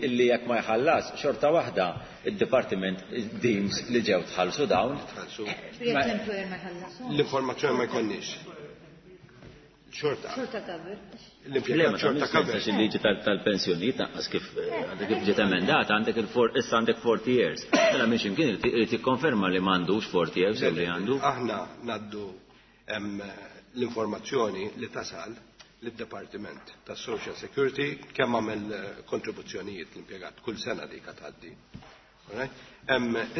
illi jekk ma jħallas xorta waħda id-dipartiment deems li ġew tħallsu dawn. Tħallsu. Jekk l-employer ma jħallas. L-informazzjoni ma jkollniex. Xorta. Xorta cover. L-impjegat xorta cover. Il-liġi tal-pensjonijiet naqqas kif għandek kif ġiet emendata għandek il issa għandek forty years. Mela minn x'imkien irid jikkonferma li m'għandux forty years jew li għandu. Aħna ngħaddu l-informazzjoni li tasal lid-Dipartiment tas-Social Security kemm għamel kontribuzzjonijiet l-impjegat kull sena dik tgħaddi.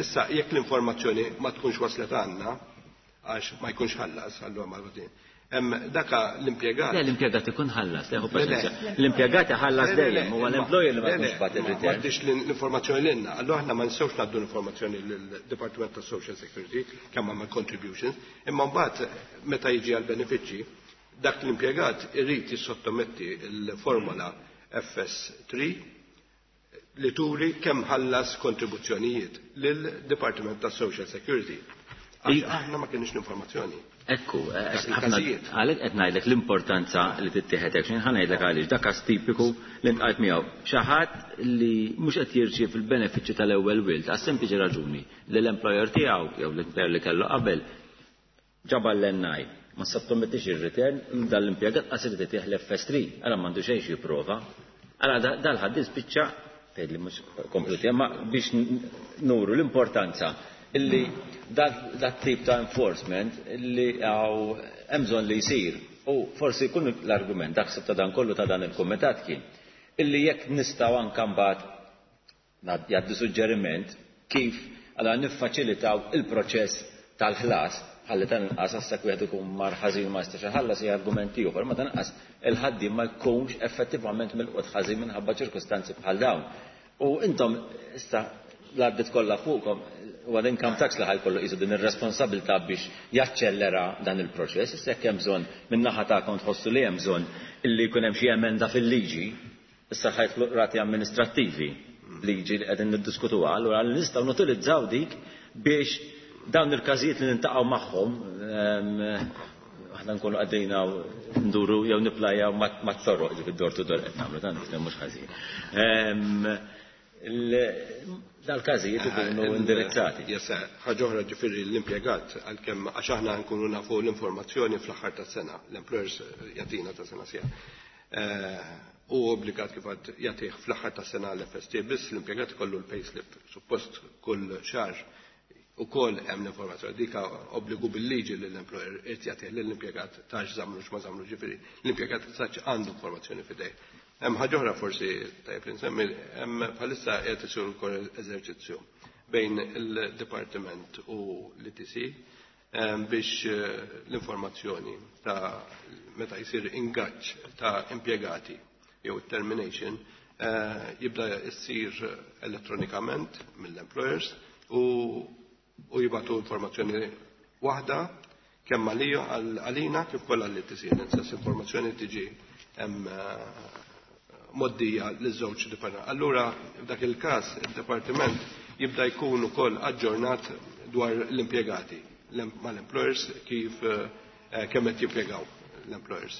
Issa jekk l-informazzjoni ma tkunx waslet għandna għax ma jkunx ħallas allura ma Daka l-impjegat. Le, l-impjegat ikun ħallas, le, l-impjegat ħallas dejjem, huwa l-employer li ma jkunx bagħat ir-return. M'għaddix l-informazzjoni lilna, allura aħna ma nistgħux ngħaddu l-informazzjoni lill-Dipartiment tas Social Security kemm għamel contributions, imma mbagħad meta jiġi għal benefiċċji, dak l-impjegat irid jissottometti l-formola F S three li turi kemm ħallas kontribuzzjonijiet lill-Dipartiment tas Social Security. Għax aħna ma kienx l-informazzjoni. Ekku, għalhekk qed ngħidlek l-importanza li tittieħed action, ħa ngħidlek għaliex dak każ tipiku li ntqajt miegħu. Xi ħadd li mhux qed jirċiev il-benefiċċju tal-ewwel wild għas sempliċi raġuni li l-employer tiegħu jew l-employer li kellu qabel ġabal l-N I, ma sottomettix ir-return, dan l-impjegat qas irid itih l-F S three, għala m'għandu xejn xi jipprova. Għala dal-ħadd spiċċa tgħidli mhux kompluti, imma biex nuru l-importanza illi dat tip ta' enforcement illi għaw hemm bżonn li jsir. U forsi jkun l-argument dak ta' dan kollu ta' dan il-kumitat kien illi jekk nistgħu anke mbagħad jgħaddu suġġeriment kif għala niffaċilitaw il-proċess tal-ħlas ħalli tanqas għassak wieħed ikun mar ħażin ma jistax iħallas hija argument ieħor, ma tanqas il-ħaddiem ma jkunx effettivament milqut ħażin minħabba ċirkustanzi bħal dawn. U intom issa l-għaddit kollha fuqkom u għal income tax li ħajkollu qisu din ir-responsabilità biex jaċċellera dan il-proċess, issa jekk hemm bżonn min-naħa tagħkom tħossu li hemm bżonn illi jkun hemm xi emenda fil-liġi, issa ħajtlu rati amministrattivi, liġi li qegħdin niddiskutuha, allura nistgħu nutilizzaw dik biex dawn il-każijiet li nintaqgħu magħhom aħna nkunu għaddejna nduru jew niplajaw ma t-torroq ġifieri door to door qed nagħmlu dan mhux ħażin. Dal-każijiet ikunu indirizzati. Yes, ħaġa oħra ġifieri l-impjegat għalkemm għax aħna nkunu nafu l-informazzjoni fl-aħħar tas-sena, l-employers jagħtina ta' sena sija. U obbligat kif għad jagħtih fl-aħħar tas-sena l-F S T, biss l-impjegat kollu l-payslip suppost kull xahar ukoll hemm l-informazzjoni. Dika obbligu bil-liġi li l-employer irid jagħtih lill-impjegat ta' x'żamlu, x'ma żamlu, ġifieri l-impjegat saċ għandu informazzjoni f'idejh. Hemm ħaġa oħra forsi tajjeb li nsemmi, hemm bħalissa qed isir ukoll eżerċizzju bejn il-Dipartiment u l-E T C biex l-informazzjoni ta' meta jsir ingaġġ ta' impjegati jew termination jibda jsir elettronikament mill-employers u u jibatu informazzjoni waħda kemm għalija għalina kif kollha li tisir. L-istess informazzjoni tiġi hemm moddija l-żewġ dipartiment. Allura, f'dak il-każ, il-dipartiment jibda jkun ukoll aġġornat dwar l-impjegati mal-employers kif kemm qed jimpjegaw l-employers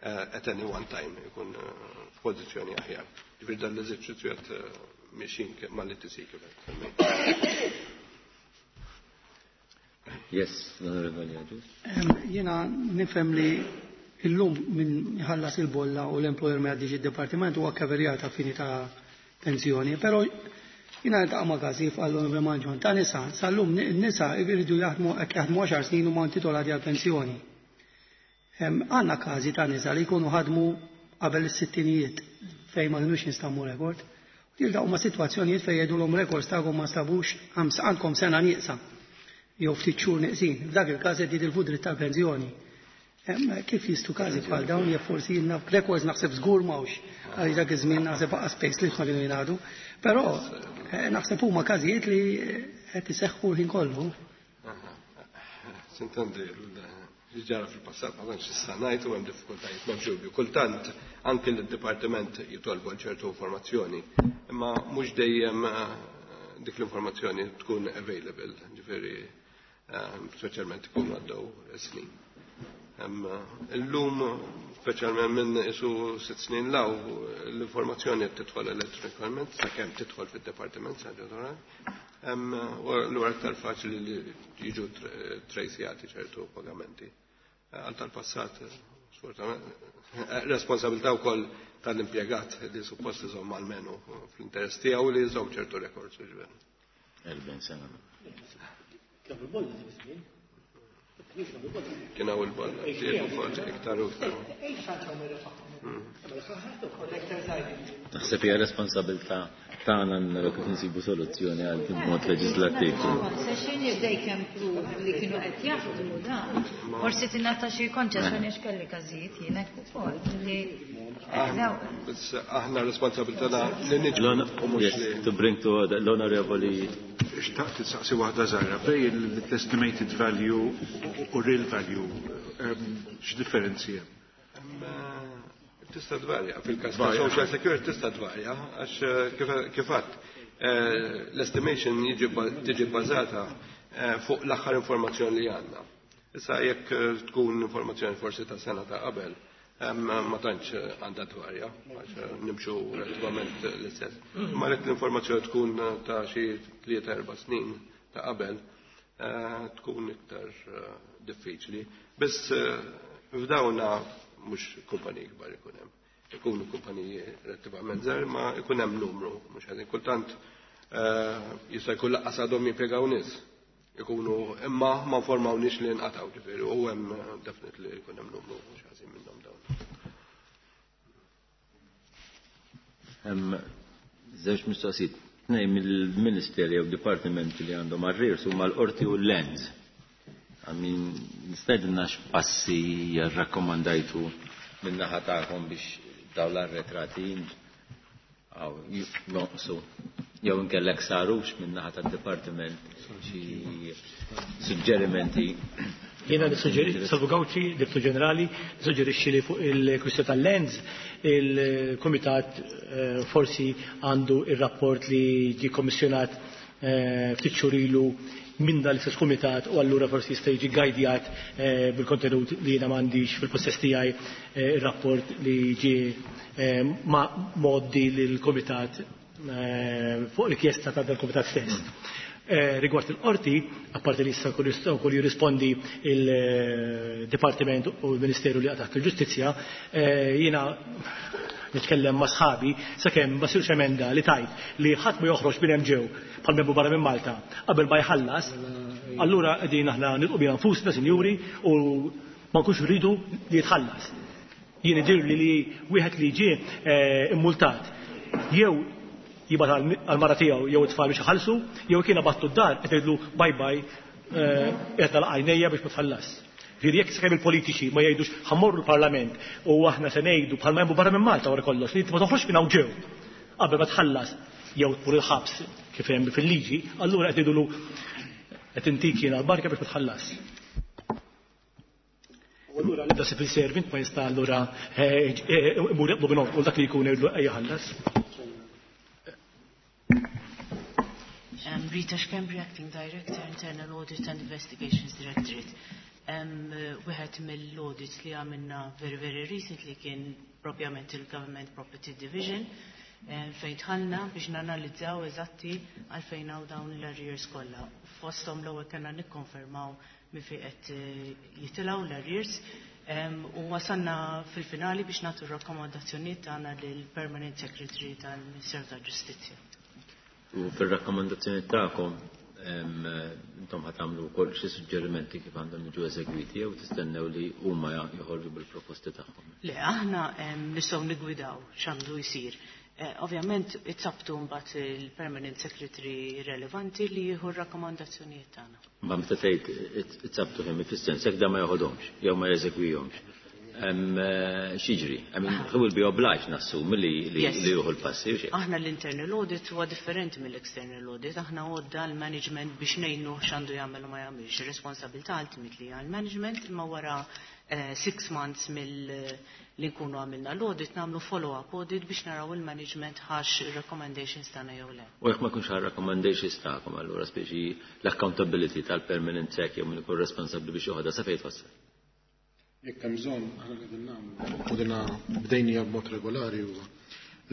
at any one time, ikun f'pożizzjoni aħjar. Ġifieri dan l-eżerċizzju qed mixin mal-E T C kif qed. Yes, l-Onorevoli Agius. Jena nifhem li illum min ħallas il-bolla u l-employer ma jgħaddix id-departiment huwa kaverjata fini ta' pensjoni, però jiena niltaqa' ma' każi għall-Onorevoli Mangion ta' nisa, sal-lum n-nisa jridu jaħdmu hekk jaħdmu għaxar snin u ma intitolati għal pensjoni. Għandna każi ta' nisa li jkunu ħadmu qabel is-sittinijiet fejn ma kinux jinstabu rekord. Jiltaqgħu ma' sitwazzjonijiet fejn jgħidulhom records tagħkom ma nstabux, għandkom sena nieqsa jew ftit xhur neqsin. F'dak il-każ qed jitilfu dritt tal-pensjoni. Kif jistu każi bħal dawn jekk forsi jilna records naħseb żgur m'hawnx għaliex dak iż-żmien naħseb baqa' space li ma kienu jingħadu. Però naħseb huma każijiet li qed iseħħu l-ħin kollu. S'intendi ġara fil-passat, ma tantx issa ngħid u hemm diffikultajiet, m'hemmx dubju. Kultant anke l-dipartiment jitolbu għal ċertu informazzjoni, imma mhux dejjem dik l-informazzjoni tkun available, ġifieri speċjalment ikunu għaddew snin. Illum, speċjalment minn isu sitt snin law, l-informazzjoni tidħol elettronikament, sakemm tidħol fid-dipartiment sa U l aktar faċli li jiġu tracjati ċertu pagamenti. Għal tal-passat, responsabilità wkoll tal-impjegat li suppost iżomm almenu fl-interess tiegħu li jżomm ċertu records. Erbgħin sena. Kien hawn il-bolla, iktar u iktar. Naħseb hija responsabilità tagħna naraw kif insibu soluzzjoni għal din mod leġislattiv. Concession if they can prove li kienu qed jaħdmu dan. Forsi tingħata xi konċessjoni għax kelli każijiet jien hekk ukoll li Biss aħna responsabilità li niġu u mhux Yes, li to bring to order l-Onorevoli. Xtaqt tistaqsi waħda żgħira bejn l-estimated value u real value, x'differenzi hemm? Tista' tvarja, fil-każ ta' Social Security tista' tvarja, għax kif għadt l-estimation tiġi bbażata fuq l-aħħar informazzjoni li għandna. Issa jekk tkun informazzjoni forsi ta' sena ta' qabel, ma tantx għandha tvarja, għax nimxu relativament l-istess. Ma jekk l-informazzjoni tkun ta' xi tlieta erba' snin ta' qabel, tkun iktar diffiċli. Biss f'dawna mhux kumpaniji kbar ikun hemm. Ikunu kumpaniji relattivament żgħar, ma ikun hemm numru, mhux ħażin. Kultant jista' jkun lanqas għadhom jimpjegaw nies. Ikunu imma ma informawnix li nqatgħu, ġifieri u hemm definitely jkun hemm numru mhux ħażin minnhom dawn. Hemm żewġ mistoqsijiet. Tnejn mill-ministeri jew dipartimenti li għandhom arrears huma l-qorti u l-lands. I mean, nistedna x'passi rakkomandajtu min-naħa tagħkom biex dawn l-arretrati Jonqsu jew inkellek sarux min-naħa tad-dipartiment xi suġġerimenti. Jiena nissuġġeri, Salvu Gauci, Direttur Ġenerali, nissuġġerixxi li fuq il-kwistjoni tal-lens il-Kumitat forsi għandu ir-rapport li ġie kommissjonat ftit xhur ilu minn dan l-istess kumitat u allura forsi jista' jiġi gajdjat bil-kontenut li jiena m'għandix fil-possess tiegħi ir-rapport li ġie ma' moddi lill-kumitat fuq rikjesta ta' dal-kumitat stess. Rigward il-qorti, apparti li issa wkoll jirrispondi il-Dipartiment u l-Ministeru li taħt il-Ġustizzja, jiena nitkellem ma' sħabi sakemm ma sirx emenda li tajt li ħadd ma joħroġ minn hemm ġew bħal membru barra minn Malta qabel ma jħallas, allura qegħdin aħna nilqu biha nfusna, sinjuri, u ma nkunx rridu li jitħallas. Jien idirli li wieħed li ġie immultat jew jibgħat għall-mara tiegħu jew it-tfal biex iħallsu, jew kien abattu d-dar qed jgħidlu bye bye qed nagħlaq għajnejja biex ma tħallas. Ġifieri jekk sakemm il-politiċi ma jgħidux ħammorru l-Parlament u aħna se ngħidu bħalma hemm barra minn Malta wara kollox li inti ma toħroġx minn hawn ġew qabel ma tħallas jew tmur il-ħabs kif hemm fil-liġi, allura qed jgħidulu qed intik jiena l-barka biex ma tħallas. U allura l-ebda civil servant ma jista' allura imur jaqblu minn u dak li jkun jgħidlu ejja ħallas. Um, Rita Schembri, Acting Director, Internal Audit and Investigations Directorate. Um, wieħed mill-audits li għamilna very, very recently kien propjament il-Government Property Division, um, fejn dħalna biex nanalizzaw eżatti għalfejn hawn dawn l-arrears kollha. Fosthom l-ewwel kellna nikkonfermaw minn fejn qed jitilgħu l-arrears, um, u wasalna fil-finali biex nagħtu r-rakkomandazzjonijiet tagħna lill-Permanent Secretary tal-Ministeru tal-Ġustizzja. U fil-rakkomandazzjoni tagħkom intom ħa tagħmlu wkoll xi suġġerimenti kif għandhom jiġu eżegwiti jew tistennew li huma joħorġu bil-proposti tagħhom? Le, aħna nistgħu nigwidaw x'għandu jsir. Ovvjament it's up to mbagħad il-Permanent Secretary relevanti li jieħu r-rakkomandazzjonijiet tagħna. Ma meta tgħid it's up to him, fis-sens jekk da ma joħodhomx jew ma jeżegwihomx. X'jiġri? I mean, he will be obliged nassumi li li jieħu l-passi. Aħna l-internal audit huwa differenti mill-external audit. Aħna għodda l-management biex ngħinu x'għandu jagħmel u ma jagħmilx. Ir-responsabilità ultimately għall-management, imma wara six months mill li nkunu għamilna l-audit nagħmlu follow-up audit biex naraw il-management ħax recommendations tagħna jew le. U jekk ma jkunx ħa recommendations tagħkom allura speċi l-accountability tal-permanent sec jew min ikun responsabbli biex joħodha sa fejn twassal? Jekk hemm bżonn aħna qegħdin nagħmlu u dina bdejnija b'mod regolari huwa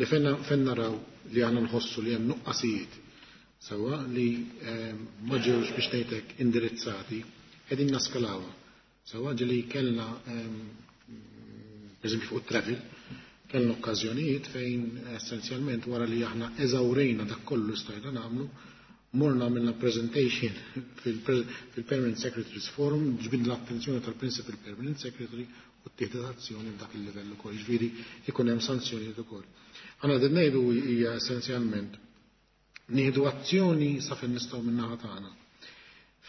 li fejn naraw li aħna nħossu li hemm nuqqasijiet sewwa li ma ġewx biex ngħidlek indirizzati qegħdin naskalawha. Sewwa ġieli kellna pereżempju fuq travel kellna okkażjonijiet fejn essenzjalment wara li aħna eżawrejna dak kollu stajna nagħmlu morna għamilna presentation fil-Permanent Secretaries Forum, ġbidna l-attenzjoni tal-Principal Permanent Secretary u ttieħdet azzjoni f'dak il-livell ukoll, ġifieri ikun hemm sanzjonijiet ukoll. Aħna qegħdin ngħidu hija essenzjalment nieħdu azzjoni sa fejn nistgħu min-naħa tagħna.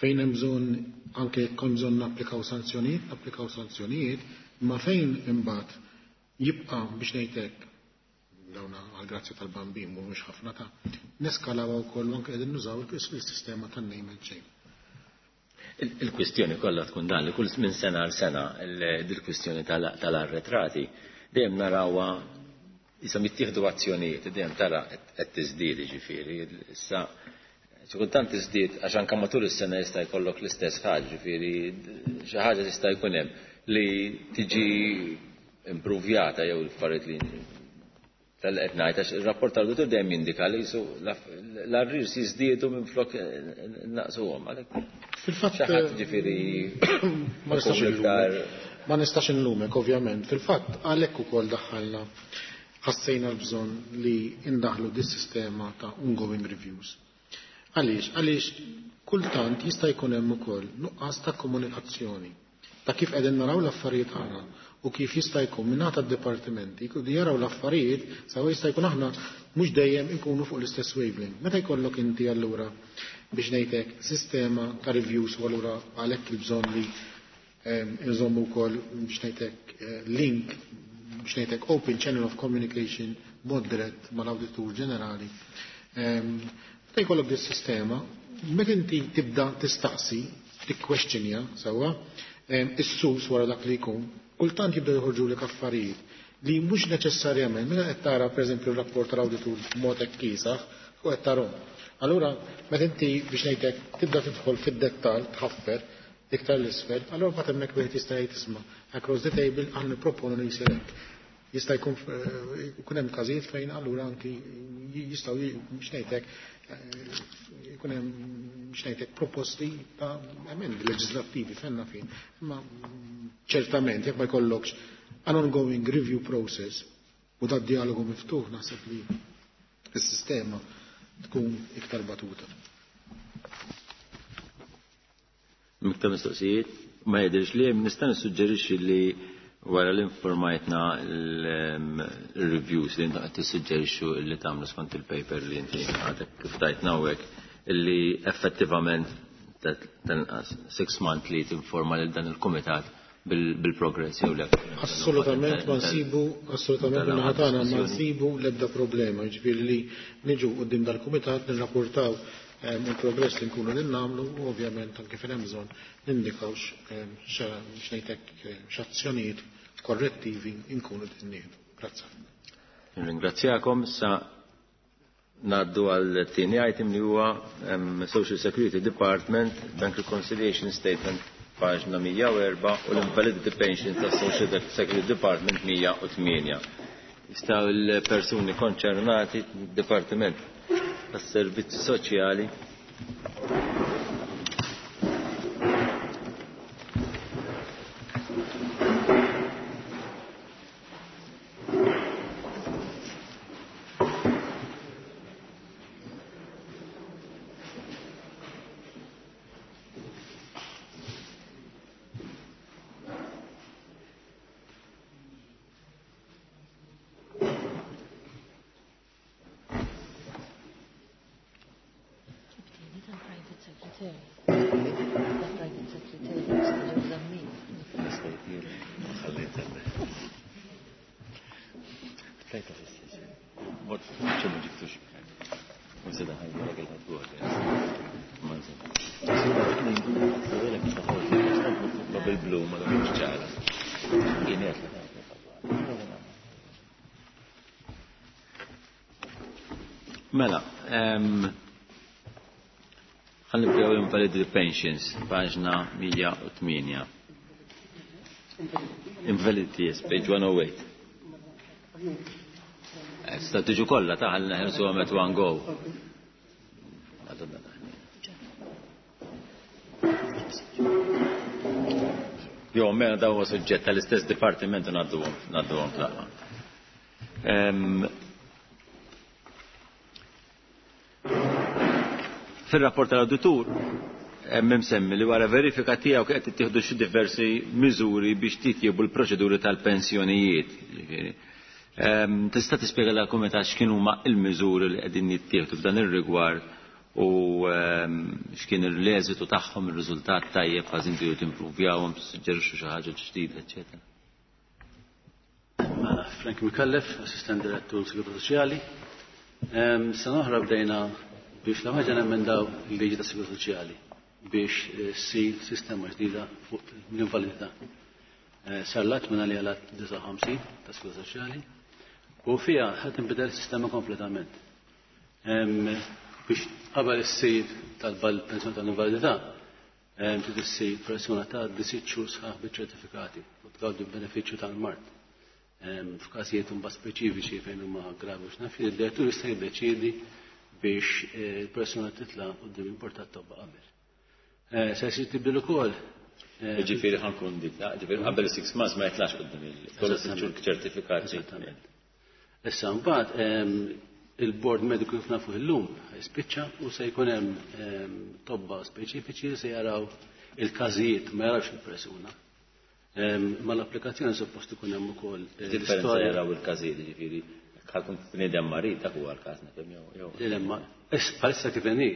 Fejn hemm bżonn anke jekk hemm bżonn napplikaw sanzjonijiet, napplikaw sanzjonijiet, ma fejn imbagħad jibqa' biex ngħidlek dawna għal-grazzja tal-bambin mhumiex ħafna ta' neskalaw wkoll anke qegħdin nużaw il-sistema tan-name and shame. Il-kwistjoni kollha tkun dan li kull minn sena għal sena dil-kwistjoni tal-arretrati dejjem narawha issa jittieħdu azzjonijiet, dejjem tara qed tiżdied ġifieri issa xi kultant tiżdied għax anke matul is-sena jista' jkollok l-istess ħaġa, ġifieri xi ħaġa tista' jkun hemm li tiġi impruvjata jew l-affarijiet li tal-qed ngħid għax ir-rapport tal-awditur dejjem jindika li jisu l-arrears jiżdiedu minflok naqsuhom għalhekk. Fil-fatt xi ħadd ġifieri ma nistax ma nistax inlumek ovvjament. Fil-fatt għalhekk ukoll daħħalna ħassejna l-bżonn li indaħlu dis-sistema ta' ongoing reviews. Għaliex? Għaliex kultant jista' jkun hemm ukoll nuqqas ta' komunikazzjoni ta' kif qegħdin naraw l-affarijiet aħna u kif jista' jkun minn tad-dipartimenti jaraw l-affarijiet sawa jista' jkun aħna mhux dejjem inkunu fuq l-istess wavelength. Meta jkollok inti allura biex ngħidlek sistema ta' reviews u allura għalhekk il-bżonn li nżommu wkoll biex ngħidlek link biex ngħidlek open channel of communication mod dirett mal-Awditur Ġenerali. Meta jkollok dis-sistema, meta inti tibda tistaqsi, tikkwestjonja sewwa, is-sus wara dak li jkun, kultant jibda joħorġulek affarijiet li mhux neċessarjament meta qed tara pereżempju r-rapport tal-awditur b'mod hekk kiesaħ u qed tarhom. Allura meta inti biex ngħidlek tibda tidħol fid-dettall tħaffer iktar l-isfel, allura mbagħad hemmhekk wieħed jista' jgħid isma' across the table aħna nipproponu li jsir hekk. Jista' jkun jkun hemm każijiet fejn allura anki jistgħu biex ngħidlek jkun hemm biex ngħidlek proposti ta' emendi leġislattivi fenna fin. Imma ċertament jekk ma jkollokx an ongoing review process u dat dialogu miftuħ naħseb li s-sistema tkun iktar batuta. Miktar mistoqsijiet, ma jidhirx li nista' nissuġġerixxi li wara li informajtna l-reviews li inti qed tissuġġerixxu li tagħmlu skont il-paper li inti għadek kif tajtna hawnhekk illi effettivament tal-inqas six monthly tinforma lil dan il-kumitat bil-progress jew le. Assolutament ma nsibu, assolutament min-naħa tagħna ma nsibu l-ebda problema, jiġifieri li niġu quddiem dal-kumitat nirrapportaw il-progress li nkunu li nagħmlu u ovvjament anke fejn hemm bżonn nindikaw x'ngħidlek x'azzjonijiet korrettivi nkunu qed nieħdu. Grazzi. Ringrazzjakom. Issa ngħaddu għal tieni item li huwa Social Security Department Bank Reconciliation Statement paġna mija u erba' u l-Invalidity Pension tas Social Security Department mija u tmienja. Jistgħu l-persuni konċernati Dipartiment tas-Servizzi Soċjali Mela, ħan nibdew invalidity pensions, paġna mija u tmienja. Invalidity, yes, page one oh eight. Sta tiġu kollha ta' ħalli neħelsu għamet one go. Jo, mela daw huwa suġġett tal-istess dipartiment u ngħadduhom ngħadduhom fl-aqwa. Fil-rapport tal-auditur hemm imsemmi li wara verifika tiegħu qed ittieħdu xi diversi miżuri biex titjiebu l-proċeduri tal-pensjonijiet. Tista' tispjega lil kumitat x'kienu huma l-miżuri li qegħdin jittieħdu f'dan ir-rigward u x'kien l-eżitu tagħhom, ir-riżultat tajjeb, ħażin tridu timpruvjawhom, tissuġġerixxu xi ħaġa ġdida, eċċetera. Frank Micallef, Assistent Direttur Sigurtà Soċjali. Sena oħra bdejna biex la ħaġa nemmendaw il-liġi ta' sigurtà soċjali biex ssir sistema ġdida fuq l-invalidità. Sar l-att minn għalija l-att disgħa u ħamsin ta' sigurtà soċjali u fiha ħadd inbidel sistema kompletament. Biex qabel issir tal-pensjoni tal-invalidità trid issir persuna ta' sitt xhur sħaħ biċ-ċertifikati u tgawdi l-benefiċċju tal-mard. F'każijiet imbagħad speċifiċi fejn huma gravi u x'naf, id-direttur jista' jiddeċiedi biex il-persuna titla' quddiem il-bord tat-tobba qabel. Se jsir tibdil ukoll. Ġifieri ħankun dik, ġifieri qabel six months ma jitlax quddiem il-kollu sitt ċertifikati. Eżattament. Issa mbagħad il-bord mediku kif nafu illum jispiċċa u se jkun hemm tobba speċifiċi li se jaraw il-każijiet ma jarawx il-persuna. Ma l-applikazzjoni suppost ikun hemm ukoll l-istorja. Jaraw il-każijiet, ġifieri ħakun bniedem marid dak huwa l-każ nifhem jew jew. Le, ma bħalissa kif inhi,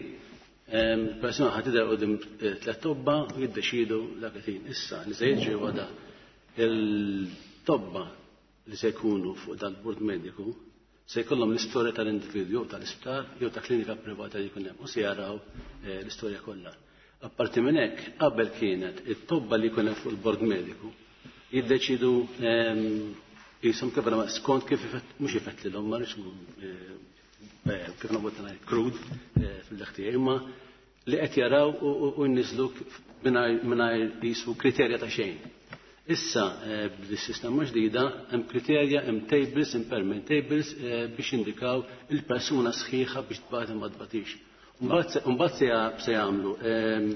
persuna ħad tidher quddiem tliet tobba u jiddeċidu dak il-ħin. Issa li se jiġri huwa da il-tobba li se jkunu fuq dal-bord mediku Se jkollhom l-istorja tal-individwu jew tal-isptar jew ta' klinika privata li jkun hemm u se jaraw eh, l-istorja kollha. Apparti minn hekk, qabel kienet it-tobba li jkun hemm fuq il-bord mediku jiddeċidu ehm, jisom kif skont kif mhux ifettlilhom ma rridx eh, eh, kif nagħmel ngħid krud fil-ħtieġ, imma li qed jaraw u jniżlu mingħajr jisu kriterja ta' xejn. Issa eh, b'dis-sistema ġdida hemm kriterja, hemm tables, impairment tables eh, biex indikaw il-persuna sħiħa biex tbati ma tbatix. Mbagħad se jagħmlu ehm,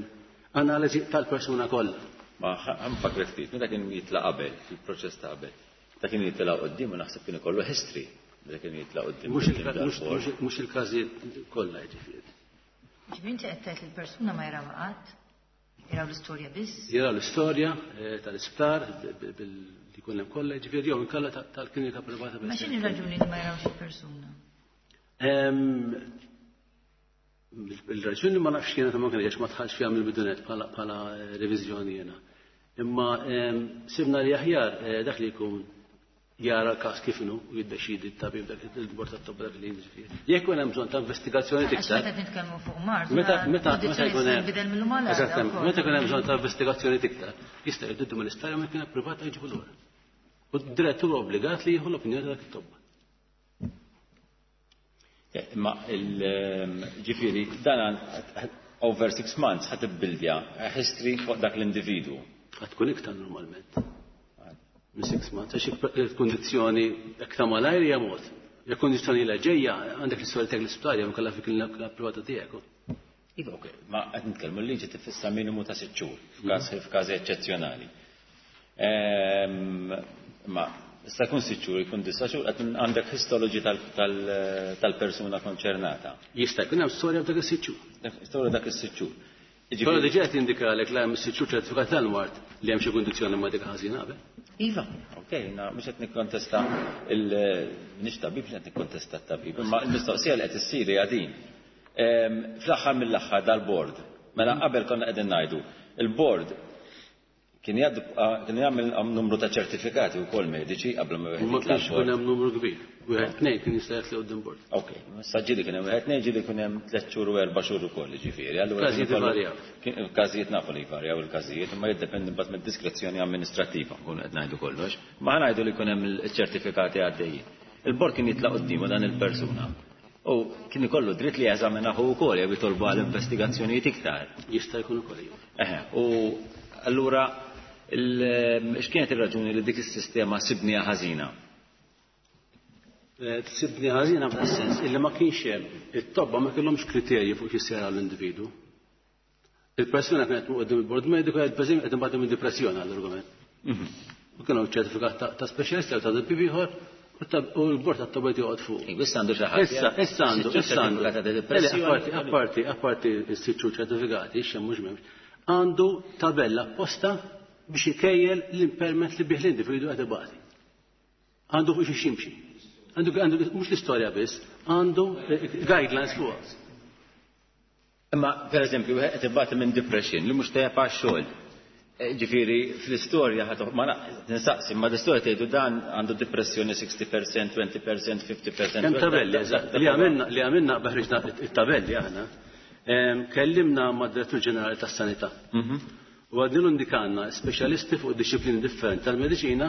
analiżi tal-persuna kollha. Ma ħanfakar ftit, meta kien jitla' qabel, fil-proċess ta' qabel. Ta' kien jitla' qudiem u naħseb kien ikollu history. Meta kien jitla' qudiem. Mhux il-każijiet kollha jiġifieri. Ġifieri inti qed tgħid il-persuna ma jaraw qatt? Jaraw l-istorja biss? Jaraw l-istorja eh, tal-isptar li jkun hemm kollha, ġifieri jew inkella tal-klinika privata biss. Ma x'inhi raġuni li ma jarawx il-persuna? Il-raġuni ma nafx kienet ma kienx ma tħallx fiha mill-bidunet bħala reviżjoni jiena. Imma sibna li aħjar eh, dak li jkun jara l-każ kif inhu u jiddeċidi t-tabib dak il-bord tat-tobba dak li jiġifieri. Jekk ikun hemm bżonn ta' investigazzjoni iktar. Meta nitkellmu fuq mard. Meta meta meta jkun hemm meta jkun hemm bżonn ta' investigazzjoni iktar, jista' jgħiddu mill-isptar jew kien privata jġibu lura. U d-direttur obbligat li jieħu l-opinjoni ta' dak it-tobba. Imma il-ġifieri dan over six months ħa tibbildja history fuq dak l-individwu. Ħa tkun iktar normalment. Minn six months, għax il-kondizzjoni jekk ta' malajr hija mod. Jekk kondizzjoni la ġejja, għandek l-istorja tiegħek l-isptar jew kellha fi klinika privata tiegħek. Iva, ok, ma qed nitkellmu l-liġi tifissa minimu ta' sitt xhur f'każ f'każi eċċezzjonali. Ma issa jkun sitt xhur, jkun disa' xhur, qed għandek histology tal-persuna konċernata. Jista' jkun hemm storja dak is-sitt xhur. Storja dak is-sitt xhur. Però diġà qed jindikalek la hemm is-sitt xhur ċertifikat tal-mard li hemm xi kundizzjoni medika ħażina qabel. Iva, ok, mhux qed nikkontesta il-nix tabib, mhux qed nikkontesta t-tabib, imma l-mistoqsija li qed issir hija din. Fl-aħħar mill-aħħar dal-bord, mela qabel konna qegħdin ngħidu, il-bord kien kien jagħmel numru ta' ċertifikati wkoll mediċi qabel ma wieħed. Ma kienx ikun hemm numru kbir. Wieħed tnejn kien jista' jitli quddiem bord. Ok, issa ġieli kien hemm wieħed tnejn, ġieli kien hemm tliet xhur u erba' xhur ukoll, jiġifieri. Allura każijiet ivarjaw. Każijiet nafu li jvarjaw il-każijiet, imma jiddependi mbagħad mid-diskrezzjoni amministrattiva, nkunu qed ngħidu kollox. Ma ngħidu li jkun hemm iċ-ċertifikati għaddejjin. Il-bord kien jitlaq quddiemu dan il-persuna. U kien ikollu dritt li jeżaminahu wkoll jew jitolbu għal investigazzjonijiet iktar. Jista' jkun ukoll. Eħe, u allura x'kienet ir-raġuni li dik is-sistema sibniha ħażina? Sibni ħażina f'das-sens illi ma kienx hemm it-tobba ma kellhomx kriterji fuq xi sera l-individwu. Il-persuna kienet quddiem il-bord mediku qed pereżempju qed imbagħad minn depressjoni għall-argument. U kienu ċertifikat ta' speċjalista jew ta' tabib ieħor u l-bord tat-tobba joqgħod fuq. Issa għandu xi ħadd. Issa issa għandu issa għandu. Apparti apparti apparti s-sitt xhur ċertifikati, x'hemm mhux m'hemmx. Għandu tabella apposta biex ikejjel l-impairment li bih l-individu qed ibati. Għandu fuq xi ximxi. Għandu għandu mhux l-istorja biss, għandu guidelines fuq. Imma pereżempju wieħed qed ibati minn depression li mhux tajjeb għax-xogħol. Ġifieri fl-istorja ħa ma ninsaqsi, ma l-istorja tgħidu dan għandu depressjoni sixty percent, twenty percent, fifty percent. Hemm tabelli eżatt li għamilna li għamilna ħriġna it-tabelli aħna. Kellimna mad-Direttur Ġenerali tas-Sanità. U għadnilu indikanna speċjalisti fuq disċiplini differenti tal-mediċina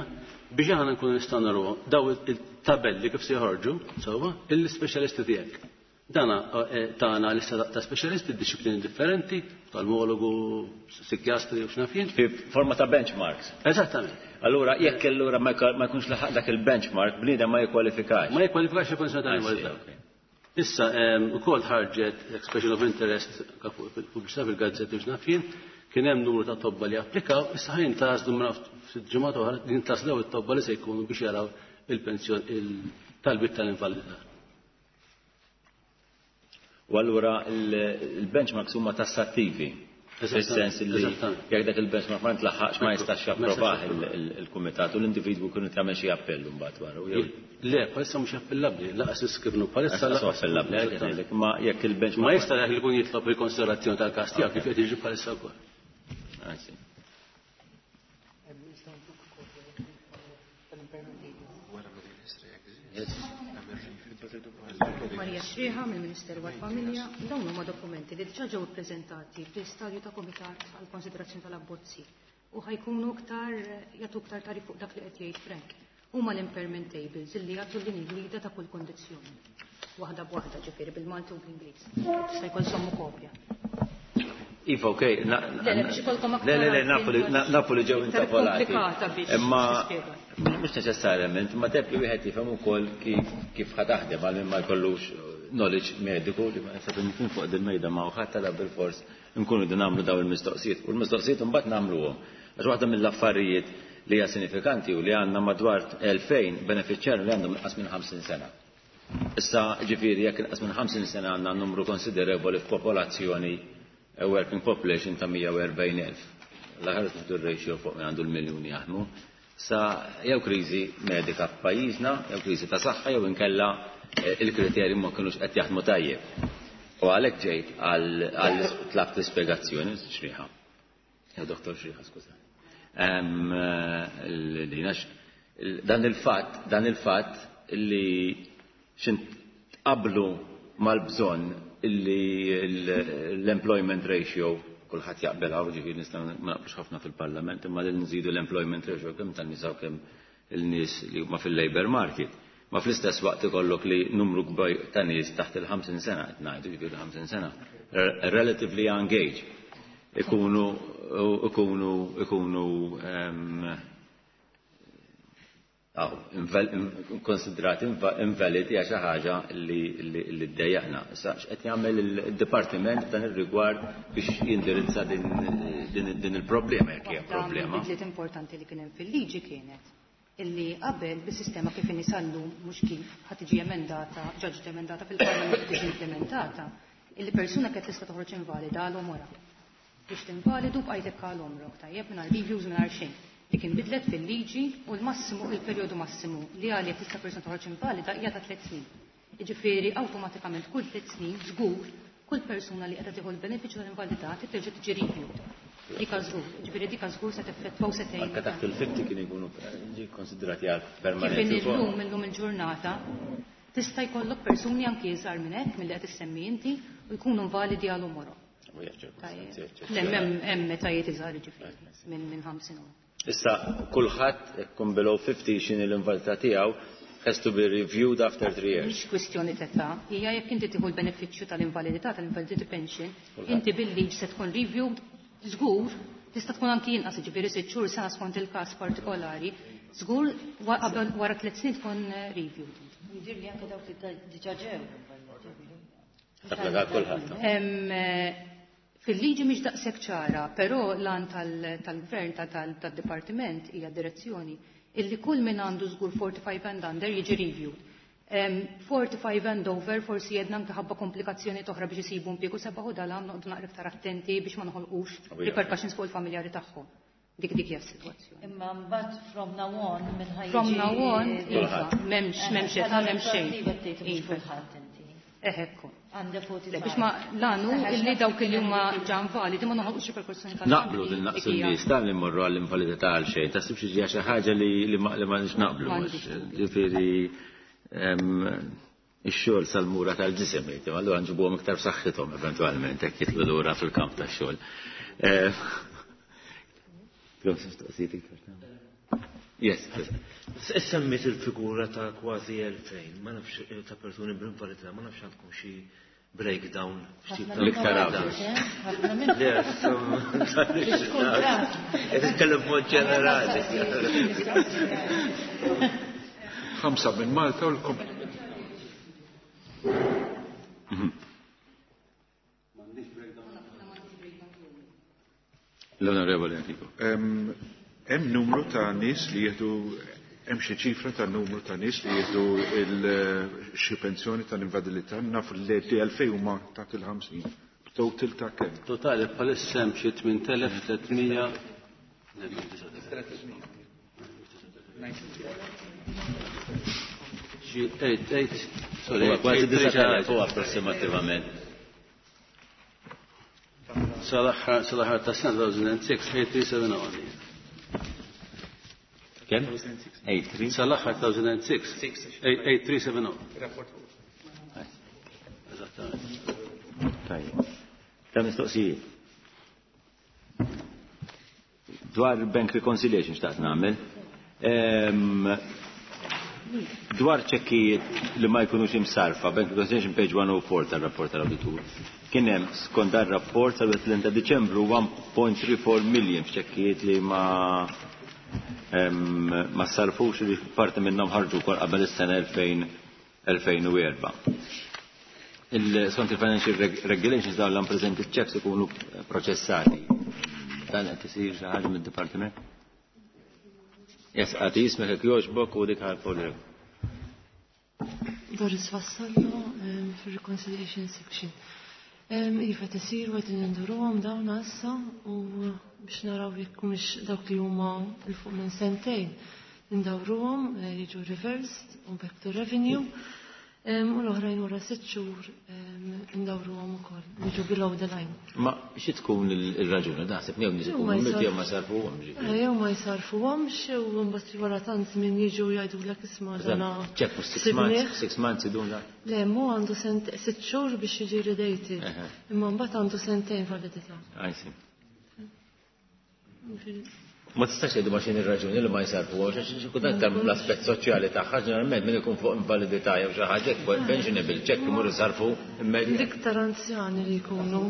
biex aħna nkunu nistgħu narawhom daw il-tabelli kif se joħorġu sewwa il-speċjalisti tiegħek. Dana tagħna lista ta' speċjalisti disċiplini differenti, oftalmologu, psikjastri u x'naf jien. Fi forma ta' benchmarks. Eżattament. Allura jekk allura ma jkunx laħaq dak il-benchmark, bniedem ma jikkwalifikax. Ma jikkwalifikax il-pensjoni tal-invalidità. Issa ukoll ħarġet expression of interest pubbliċità fil-gazzetti u x'naf jien. Kien hemm numru ta' tobba li applikaw, issa ħajn tażlu minn ftit ġimgħat oħra jintaslew it-tobba li se jkunu biex jaraw il-pensjon il-talbiet tal-invalidità. U allura il-benchmarks huma tassattivi. Fis-sens li jekk dak il-benchmark ma ntlaħħaqx ma jistax japprovah il-kumitat u l-individwu jkun jagħmel xi appell mbagħad wara. Le, bħalissa mhux appellabbli, laqas iskibnu bħalissa laqas appellabbli, ma jekk il-benchmark ma jista' jekk ikun jitlob il-konsiderazzjoni tal-każ tiegħek kif qed jiġi bħalissa wkoll. Marija Xrieħa mill-Ministeru għall-Familja. Dawn huma dokumenti li diġà ġew ippreżentati fl-istadju ta' komitat għal konsiderazzjoni tal-abbozzi u ħa jkunu iktar jagħtu iktar tagħrif fuq dak li qed jgħid Frank. Huma l-impairment tables illi jagħtu l-linji gwida ta' kull kondizzjoni. Waħda b'waħda, ġifieri bil-Malti u bl-Ingliż. Tista' jkollkom kopja. Iva, ok. Le, le, biex ikollkom aktar Le, le, le, nafu li- għarfien nafu li ġew iktar intapolati. komplikata biex Imma tispjega. mhux neċessarjament, ma teb li wieħed jifhem ukoll kif kif ħa taħdem għal min ma jkollux knowledge mediku li ma nisab nkun fuq din mejda ma' ħadd tala bil-fors nkunu din nagħmlu dawn il-mistoqsijiet. U l-mistoqsijiet imbagħad nagħmluhom. Għax waħda mill-affarijiet li hija sinifikanti u li għandna madwar elfejn benefiċjarju li għandhom inqas minn ħamsin sena. Issa ġifieri jekk inqas minn ħamsin sena għandna numru konsiderevoli f'popolazzjoni, a working population ta' mija u erbgħin elf. L-aħħar nieħdu r-ratio fuq minn għandu l-miljuni jaħdmu. Sa jew kriżi medika f'pajjiżna, jew kriżi ta' saħħa, jew inkella eh, il-kriterji ma kinux qed jaħdmu tajjeb. U għalhekk ġejt għal għal tlabt l-ispjegazzjoni Xrieħa. Ja, Doktor Xrieħa, skuża. Em, eh, li nax- Dan il-fatt, dan il-fatt li xin tqablu mal-bżonn illi l-employment ratio kulħadd jaqbel hawn, ġifieri nistgħu ma naqblux ħafna fil-Parlament, imma li nżidu l-employment ratio kemm tan-nisa u kemm il-nies li huma fil-labor market. Ma fl-istess waqt ikollok li numru kbir ta' nies taħt il-ħamsin sena, qed ngħidu ġifieri ħamsin sena, relatively young age, ikunu ikunu ikunu em, Aw, konsidrati invalidi għax xi ħaġa li li ddejjaqna. Issa x'qed jagħmel il-dipartiment f'dan ir-rigward biex jindirizza din din din il-problema, jekk hija Waħda problema? mill-bidliet importanti li kien hemm fil-liġi kienet illi qabel bis-sistema kif inhi sal-lum, mhux kif ħa tiġi emendata, ġa ġiet emendata fil-Parlament, tiġi implementata, illi persuna kienet tista' toħroġ invalida għal għomorha. Biex tinvalidu bqajtek għal għomrok, tajjeb, mingħajr reviews, mingħajr xejn. Dik inbidlet fil-liġi u l-massimu, il-perjodu massimu li għalih tista' persuna toħroġ invalida hija ta' tliet snin. Jiġifieri awtomatikament kull tliet snin żgur kull persuna li qiegħda tieħu l-benefiċċju tal-invalidità terġa' tiġi reviewed. Dika żgur, ġifieri dika żgur se teffettwa u se tgħin. Anke taħt il-ħamsin kien ikunu ġi konsidrati għal Kif permanenti. illum illum il-ġurnata tista' jkollok persuni anki iżgħar minn hekk milli qed issemmi inti u jkunu invalidi għal għomorhom. U hija ċirkustanzi Le, hemm hemm etajiet iżgħar, ġifieri minn minn ħamsin u. Issa kulħadd ikkun below fifty, x'inhi l-invalidità tiegħu, has to be reviewed after three years. Mhix kwistjoni t'età, hija jekk inti tieħu l-benefiċċju tal-invalidità, tal-invalidity pension, Kulħadd. inti bil-liġ se tkun reviewed żgur, tista' tkun anki inqas, ġifieri sitt xhur, sena skont il-każ partikolari, żgur wa- qabel wara tliet snin tkun eh, reviewed. Jidir li anke dawk li diġà ġew. Tapplika kulħadd. Em, eh, Fil-liġi mhix daqshekk ċara, però l-għan tal-gvern tal-dipartiment hija direzzjoni illi kull min għandu żgur forty-five and under jiġi reviewed. Em, forty-five and over forsi jedna anke ħabba komplikazzjoni oħra biex isibu impjiegu sebaħu dal-għam noqogħdu naqra iktar attenti biex ma noħolqux U hija. repercussions fuq il-familjari tagħhom. Dik dik hija s-sitwazzjoni. Imma mbagħad from now on minn ħa jiġi. From now on, iva, m'hemmx m'hemmx età, m'hemmx xejn. Iva. Iva. Kulħadd inti. Eh, ekku. Għandha forty-five. Le, biex ma l-għanu illi dawk li huma ġa invalidi ma noħolqux reperkussjoni tal Naqblu din naqsu n-nies tal li mmorru għall-invalidità għal xejn, taħsib xi ġija xi ħaġa li li ma li ma nix naqblu. M'għandix. Ġifieri em, ix-xogħol sal-mura tal-ġisem jgħid, allura nġibuhom iktar b'saħħithom eventwalment hekk jitlu lura fil-kamp tax-xogħol. Eh, Mistoqsijiet iktar? Yes. Semmit il-figura ta' kważi elfejn, ma nafx eh, ta' persuni b'invalidità, ma nafx għandkom xi breakdown ftit ta' L-iktar għawdex. Ħafna minn. Le, qed nitkellem b'mod ġenerali. Ħamsa minn Malta u l-kom. L-Onorevoli Enrico. Em, Hemm numru ta' nies li jieħdu, hemm xi ċifra ta' numru ta' nies li jieħdu il- xi pensjoni tal-invalidità? Naf li li elfejn huma taħt il-ħamsin. Total ta' kemm? Totali bħalissa hemm xi tmien elef tliet mija. Le, xi tmien, sorry, Huwa kważi eight, disa' huwa approssimattivament. Sal-aħħar sal-aħħar ta' sena elfejn u sitta tmien tlieta seba' Kemm? eight three? Sal-aħħar elfejn u sitta tmien tlieta seba. Tajjeb. Ta' mistoqsijiet. Dwar bank reconciliation xtaqt nagħmel. Dwar ċekkijiet li ma jkunux imsarfa, bank reconciliation page one oh four tal-rapport tal-auditur. Kien hemm skont dan rapport sal-tletin ta' Diċembru one point three four million f'ċekkijiet li ma ma sarfux, li parti minnhom ħarġu wkoll qabel is-sena elfejn u erbgħa. Il skont il-Financial Regulations, dawn l-unpresented checks ikunu proċessati. Dan qed isir xi ħaġa mid-dipartiment? Yes, għati jismek jekk jogħġbok u dik għal. Doris Vassallo, fil-Reconciliation Section. Iva, tisir u qegħdin induruhom dawn issa u biex naraw jekk mhux dawk li huma 'l fuq minn sentejn indawruhom, eh, jiġu reversed u back to revenue. U l-oħrajn wara sitt xhur indawruhom ukoll, jiġu below the line. Ma xi tkun il-raġuni? Naħseb jew nies ikunu miet jew ma sarfuhom. Eh, jew ma jsarfuhomx u mbagħad wara tant żmien jiġu jgħidulek, "Isma' dana." Ċekk six months, six months idum da. Le, mu għandu sitt xhur biex jiġi redated. Imma mbagħad għandu sentejn validità. I see. Ma tistax tgħidu ma x'inhi ir-raġuni li ma jsarfu, għax xi kultant l-aspett soċjali tagħha, ġeneralment min ikun fuq invalidità jew xi ħaġa pensionable check imur isarfu immedjat. L-iktar anzjani li jkunu.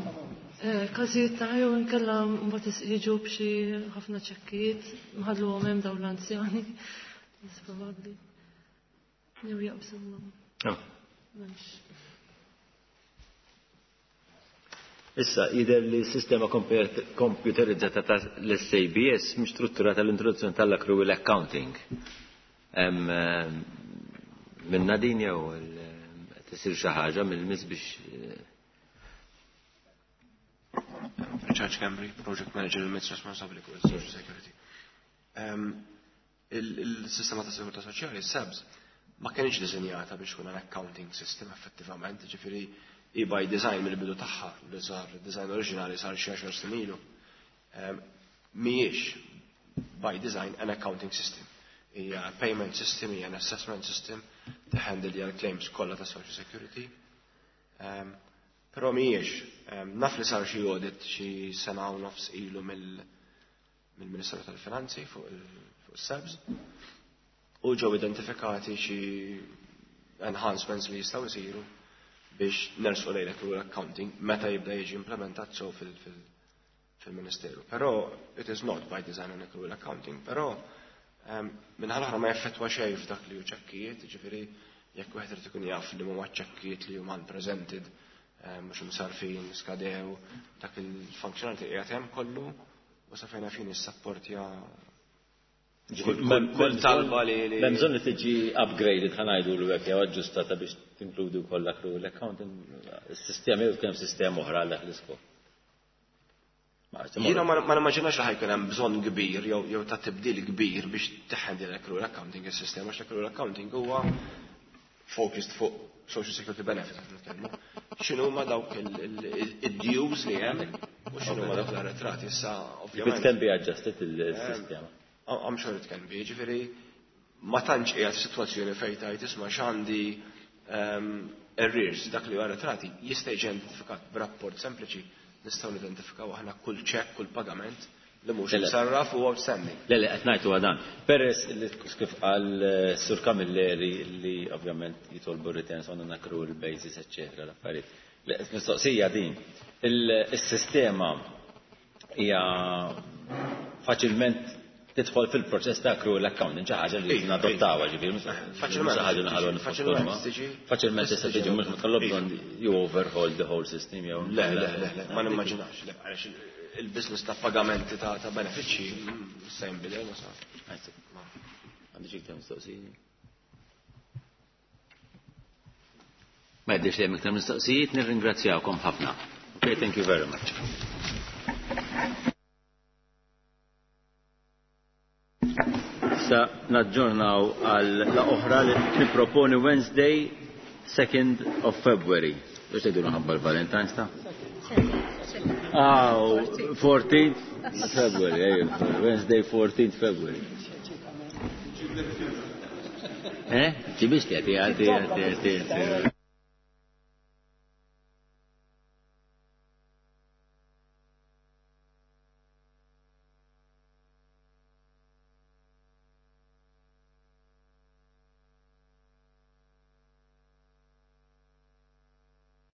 Eh, każijiet ta' jew inkella mbagħad jiġu b'xi ħafna ċekkijiet mħalluhom hemm dawn l-anzjani. Probabbli. Jew jaqbżuhom. Ah. Issa, jidher li s-sistema komputerizzata ta' l-S A B S mhix strutturata l-introduzzjoni tal-accrual accounting. Minna din jew tisir xi ħaġa mill-mis biex eh, Richard Schembri, Project Manager il-M I T S responsabbli fuq il-Social Security. Il-sistema ta' sigurtà soċjali, S A B S, ma kienx disinjata biex tkun an accounting system effettivament, ġifieri i by design mill-bidu tagħha li sar, design oriġinali sar xi għaxar snin ilu. Mhijiex by design an accounting system. Hija payment system, hija an assessment system, handle l-claims kollha ta' Social Security. Um, Però mhijiex, naf li sar xi audit xi sena u nofs ilu mill-Ministeru tal-Finanzi fuq il-S A B S u ġew identifikati xi enhancements li jistgħu jsiru biex nersqu lejn l accounting meta jibda jiġi implementat so fil-Ministeru. Però it is not by design an accrual accounting, però minħal oħra ma jaffettwa xejn f'dak li hu ċekkijiet, ġifieri jekk wieħed irid ikun jaf li huma ċekkijiet li huma unpresented, mhux imsarfin, skadew, dak il-functionality qiegħed hemm kollu u sa fejn fin issapportja kull talba li. Hemm bżonn li tiġi upgraded, ħa ngħidu l hekk, jew aġġustata biex tinkludi wkoll l accounting is-sistema jew kemm sistema oħra għal l-iskop. Jiena ma nimmaġinax li ħa jkun hemm bżonn kbir jew jew ta' tibdil kbir biex teħendi l-accrual accounting is-sistema, għax l-accrual accounting huwa focused fuq social security benefit nitkellmu. X'inhu ma dawk il-dues li hemm u x'inhu ma dawk l-arretrati issa ovvjament. It can be adjusted, il-sistema. I'm sure it can be, ġifieri ma tantx qiegħed f'sitwazzjoni fejn tgħid, "Isma' x'għandi arrears." Dak li arretrati jista' jiġi identifikat b'rapport sempliċi, nistgħu nidentifikaw aħna kull ċekk, kull pagament li mhux msarraf u outstanding. Le, le, qed ngħidu għadan. Peress li kif qal eh, Sur Camilleri li ovvjament jitolbu returns on an accrual basis, eccetera, l-affarijiet. Mistoqsija din. Il-sistema hija faċilment tidħol fil-proċess ta' accrual accounting, xi ħaġa li nadottawha, ġifieri mhux Faċilment. ħaġa li Faċilment tiġi. Faċilment tista' tiġi, mhux ma tkollok bżonn you overhaul the whole system jew. Le, le, le, le, ma nimmaġinax. Le, għaliex il-business ta' pagamenti ta' ta' benefiċċji se jinbidel ma sa. Għandi xi iktar mistoqsijiet? Ma jidhirx li hemm iktar mistoqsijiet, nirringrazzjawkom ħafna. Okay, thank you very much. Issa naġġornaw għal laqgħa oħra li nipproponi Wednesday, second of February. Biex tgħidu ħabba l-Valentine's ta'? Ah, fourteenth February, Wednesday fourteenth February. Eh? Ġibix li għati, għati, għati, għati.